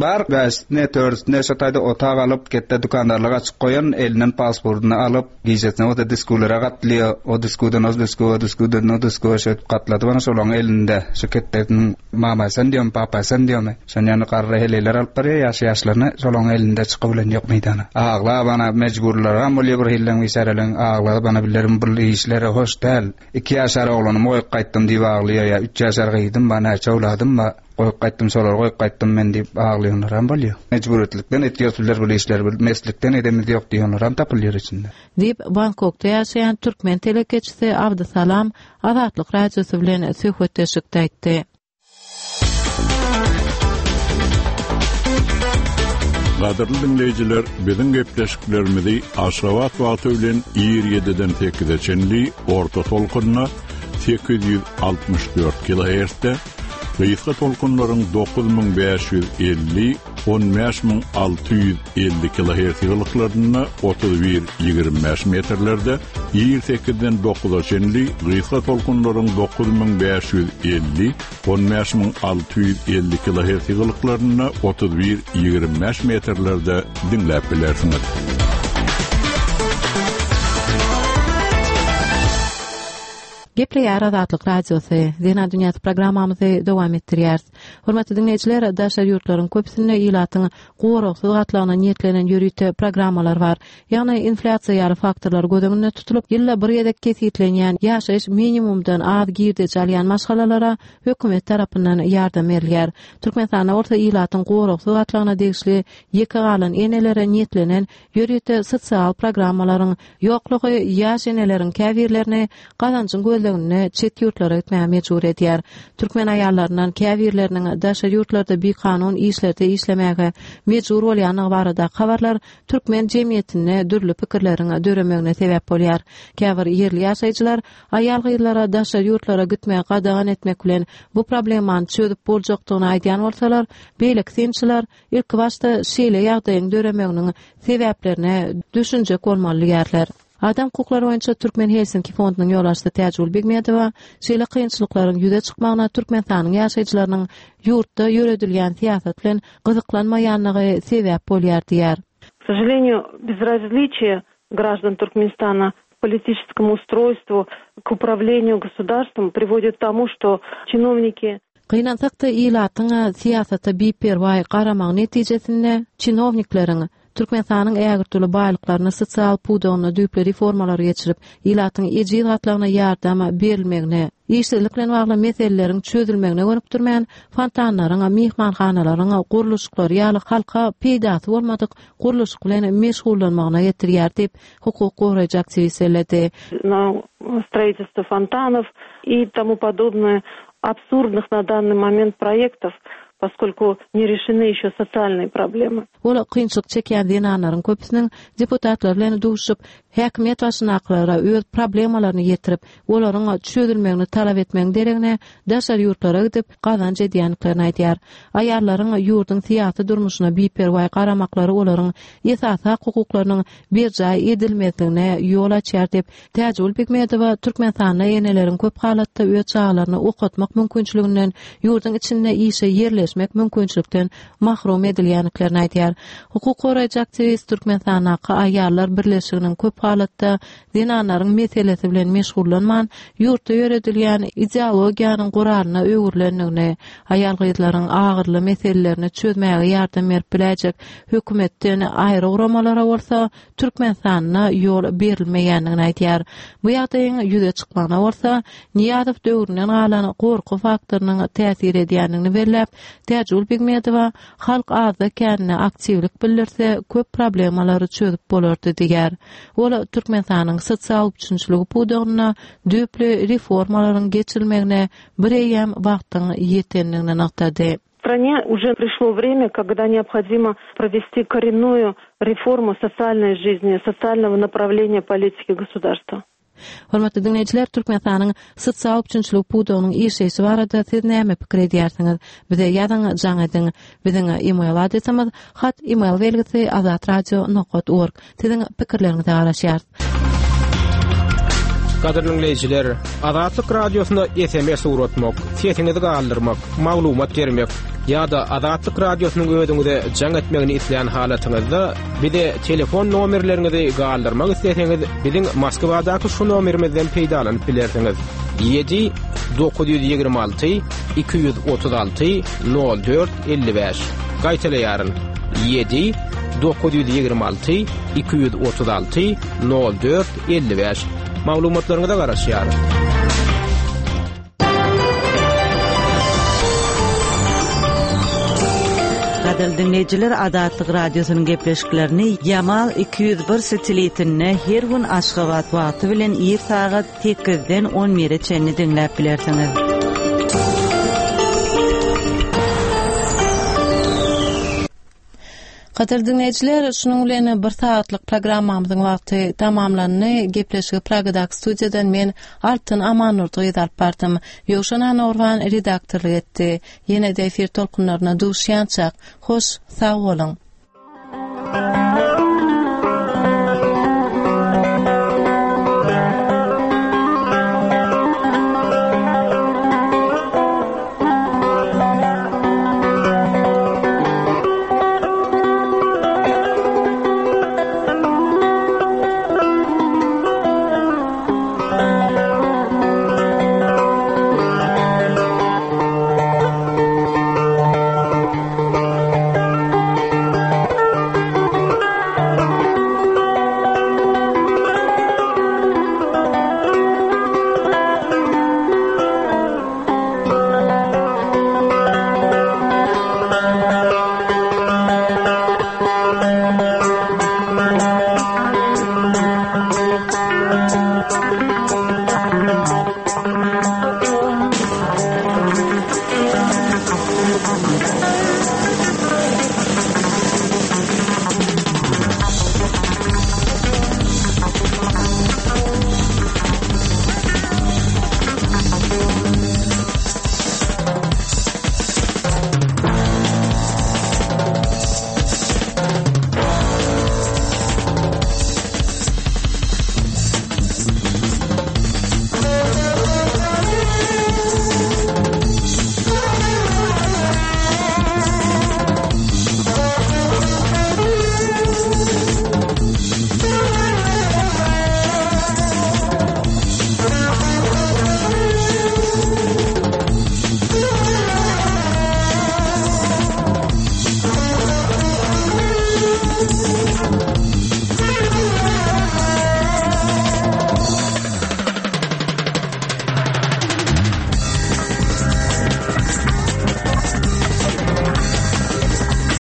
bar, bäşisine, dördüsine şo taýda otag alyp, ketde dükandarlyk açyp goýan, elinden pasportyny alyp, gijesine bolsa diskulara gatlýar, o diskudan o diskua, o diskudan o diskua şeýdip gatladyp ana şolaň elinde, şo ketdesiniň mama sen diýomy, papa sen diýomy, şon ýaly garry heleýler alyp barýar ýaş-ýaşlaryny, şolaň elinde çykybilen ýok meýdana. Aglap ana mejburlaram bolýar bir hilleň biçäreleň, aglap ana bilerin bul işlere hoş däl. Iki ýaşar oglanymy goýup gaýtdym diýip aglaýar ýa üç ýaşar gyzym bar, näçe owladym bar, goýup gaýtdym, şolary goýup gaýtdym men diýip aglaýanlaram bolýar. Mejburyýetlikden etýäs bizler bul işleri, bir meslikden edemiz ýok diýenleram tapylýar içinde. Diýip, Bangkokda ýaşaýan türkmen telekeçisi Abdysalam Azatlyk Radiosy bilen söhbetdeşlikde aýtdy. Gadyrly diňleýjiler, biziň gepleşiklerimizi Aşgabat wagty bilen ir 7-den 8-e çenli orta tolkunda 864 kHz-de, gysga tolkunlaryň 9550, 15650 kHz ýygylyklarynda 31-25 metrlerde, ir 8-den 9-a çenli gysga tolkunlaryň 9550, 15650 kHz ýygylyklarynda 31-25 metrlerde diňläp bilersiňiz. Gepleýär Azatlyk Radiosy, Zenan dünýäsi programmamyzy dowam etdirýäris. Hormatly diňleýjiler, daşary ýurtlaryň köpüsinde ilatyň goragsyz gatlagyna niýetlenen ýörite programmalar bar. Ýagny inflýasiýa ýaly faktorlar göz öňünde tutulyp, ýylda bir gezek kesgitlenýän ýaşaýyş minimumdan az girdeji alýan maşgalalara hökümet tarapyndan ýardam berilýär. Türkmenistanda bolsa ilatyň goragsyz gatlagyna degişli ýeke galan enelere niýetlenen ýörite sosial programmalaryň ýoklugy ýaş eneleriň käbirlerini gazanjyň gözleginde çet ýurtlara gitmäge mejbur edýär. Türkmen aýallaryndan käbirleriniň daşary ýurtlarda bikanun işlerde işlemäge mejbur bolýandygy baradaky habarlar türkmen jemgyýetinde dürli pikirleriň döremegine sebäp bolýar. Käbir ýerli ýaşaýjylar aýal-gyzlara daşary ýurtlara gitmegi gadagan etmek bilen bu problemany çözüp boljakdygyny aýdýan bolsalar, beýleki synçylar Ilkibaşda şeýle ýagdaýyň döremeginiň sebäplerine düşünjek bolmaly diýýärler. Adam hukuklary boýunça Türkmen Helsinki fondunyň ýolbaşçysy Täjigül Begmedowa şeýle kynçylyklaryň ýüze çykmagyna Türkmenistanyň ýaşaýjylarynyň ýurtda ýöredilýän syýasat bilen gyzyklanmaýanlygy sebäp bolýar diýýär. K sožalenию, bezrazliçie graždan Türkmenistana k politiçeskomu ustrojstvu, k upravleniýu gosudarstvom priwodit k tomu, şto çinowniki, Gynansak-da, ilatyň syýasata biperwaý garamagy netijesinde çinownikleriň Türkmenistanyň ägirt uly baýlyklaryny sosial pudagynda düýpli reformalary geçirip, ilatyň ejiz gatlagyna ýardam berilmegine, işsizlik bilen bagly meseleleriň çözülmegine gönükdirmän, fontanlaryň, myhmanhanalaryň gurluşyklary ýaly halka peýdasy bolmadyk gurluşyk bilen meşgullanmagyna getirýär diýip, hukuk goraýjy aktiwist belledi. Na stroitelstvo fontanow i tomu podobnoe absurdnych na dannyý moment proýektow, poskolku ne rešeny ýeşe sosialnyý problemy. Ol kynçylyk çekýän zenanlaryň köpüsiniň deputatlar bilen duşup, häkimiýet başyndakylara öz problemalaryny ýetirip, olaryň çözülmegini talap etmegiň deregine daşary ýurtlara gidip, gazanç edýändiklerini aýdýar. Aýallaryň ýurduň syýasy durmuşyna biperwaý garamaklary olaryň esasy hak-hukuklarynyň berjaý edilmezligine ýol açýar diýip, Täjigül Begmedowa Türkmenistanda eneleriň köp halatda öz çagalaryny okatmak mümkinçiliginden, ýurduň içinde işe ýerleşmek mümkinçilikden mahrum edilýändiklerini aýdýar. Hukuk goraýjy aktiwist Türkmenistandaky aýallar birleşiginiň köp halatda zenanlaryň meselesi bilen meşgullanman, ýurtda ýöredilýän ideologiýanyň guralyna öwrülendigini, aýal-gyzlaryň agyrly meselelerini çözmäge ýardam berip biläýjek hökümetden aýry guramalara bolsa Türkmenistanda ýol berilmeýändigini aýdýar. Bu ýagdaýyň ýüze çykmagyna bolsa Nyýazow döwründen galan gorky faktorynyň täsir edýändigini belläp, Täjigül Begmedowa halk azda-kände aktiwlik bildirse, köp problemalary çözüp bolardy diýýär. Ol Türkmenistanyň sosial üpjünçiligi pudagynda düýpli reformalaryň geçirilmegine bireýýäm wagtyň ýetendigini nygtady. Strane уже пришло время, когда необходимо провести коренную реформу социальной жизни, социального направления политики государства. Hormatly diňleýjiler, Türkmenistanyň sosial üpjünçilik pudagynyň işleýşi barada siz näme pikir edýärsiňiz? Bize ýazyň, jaň ediň. Biziň e-mail adresimiz hat email belgisi azatradio nokat org. Siziň pikirleriňize garaşýarys. Gadyrly diňleýjiler, Azatlyk Radiosyna SMS ugratmak, sesiňizi galdyrmak, maglumat bermek ýa-da Azatlyk Radiosynyň özüňize jaň etmegini islän halatyňyzda bize telefon nomerleriňizi galdyrmak isleseňiz, biziň Moskwadaky şu nomerimizden peýdalanyp bilersiňiz, 7 926 236 04 55. Gaýtalaýaryn, 7 926 236 04 55. Maglumatlaryňyza garaşýarys. Gadyrly diňleýjiler Azatlyk Radiosynyň gepleşiklerini Ýamal 201 satelitinde her gün Aşgabat wagty bilen ir sagat sekizden on bire çenli diňläp bilersiňiz. Gadyrly diňleýjiler, şunuň bilen bir sagatlyk programmamyzyň wagty tamamlandy. Gepleşigi Pragadaky studiýadan men Altyn Amannurdy gyzy alyp bardym. Ýowşan Annagurban redaktorlyk etdi. Ýene-de efir tolkunlaryna duşýançak, hoş sag boluň!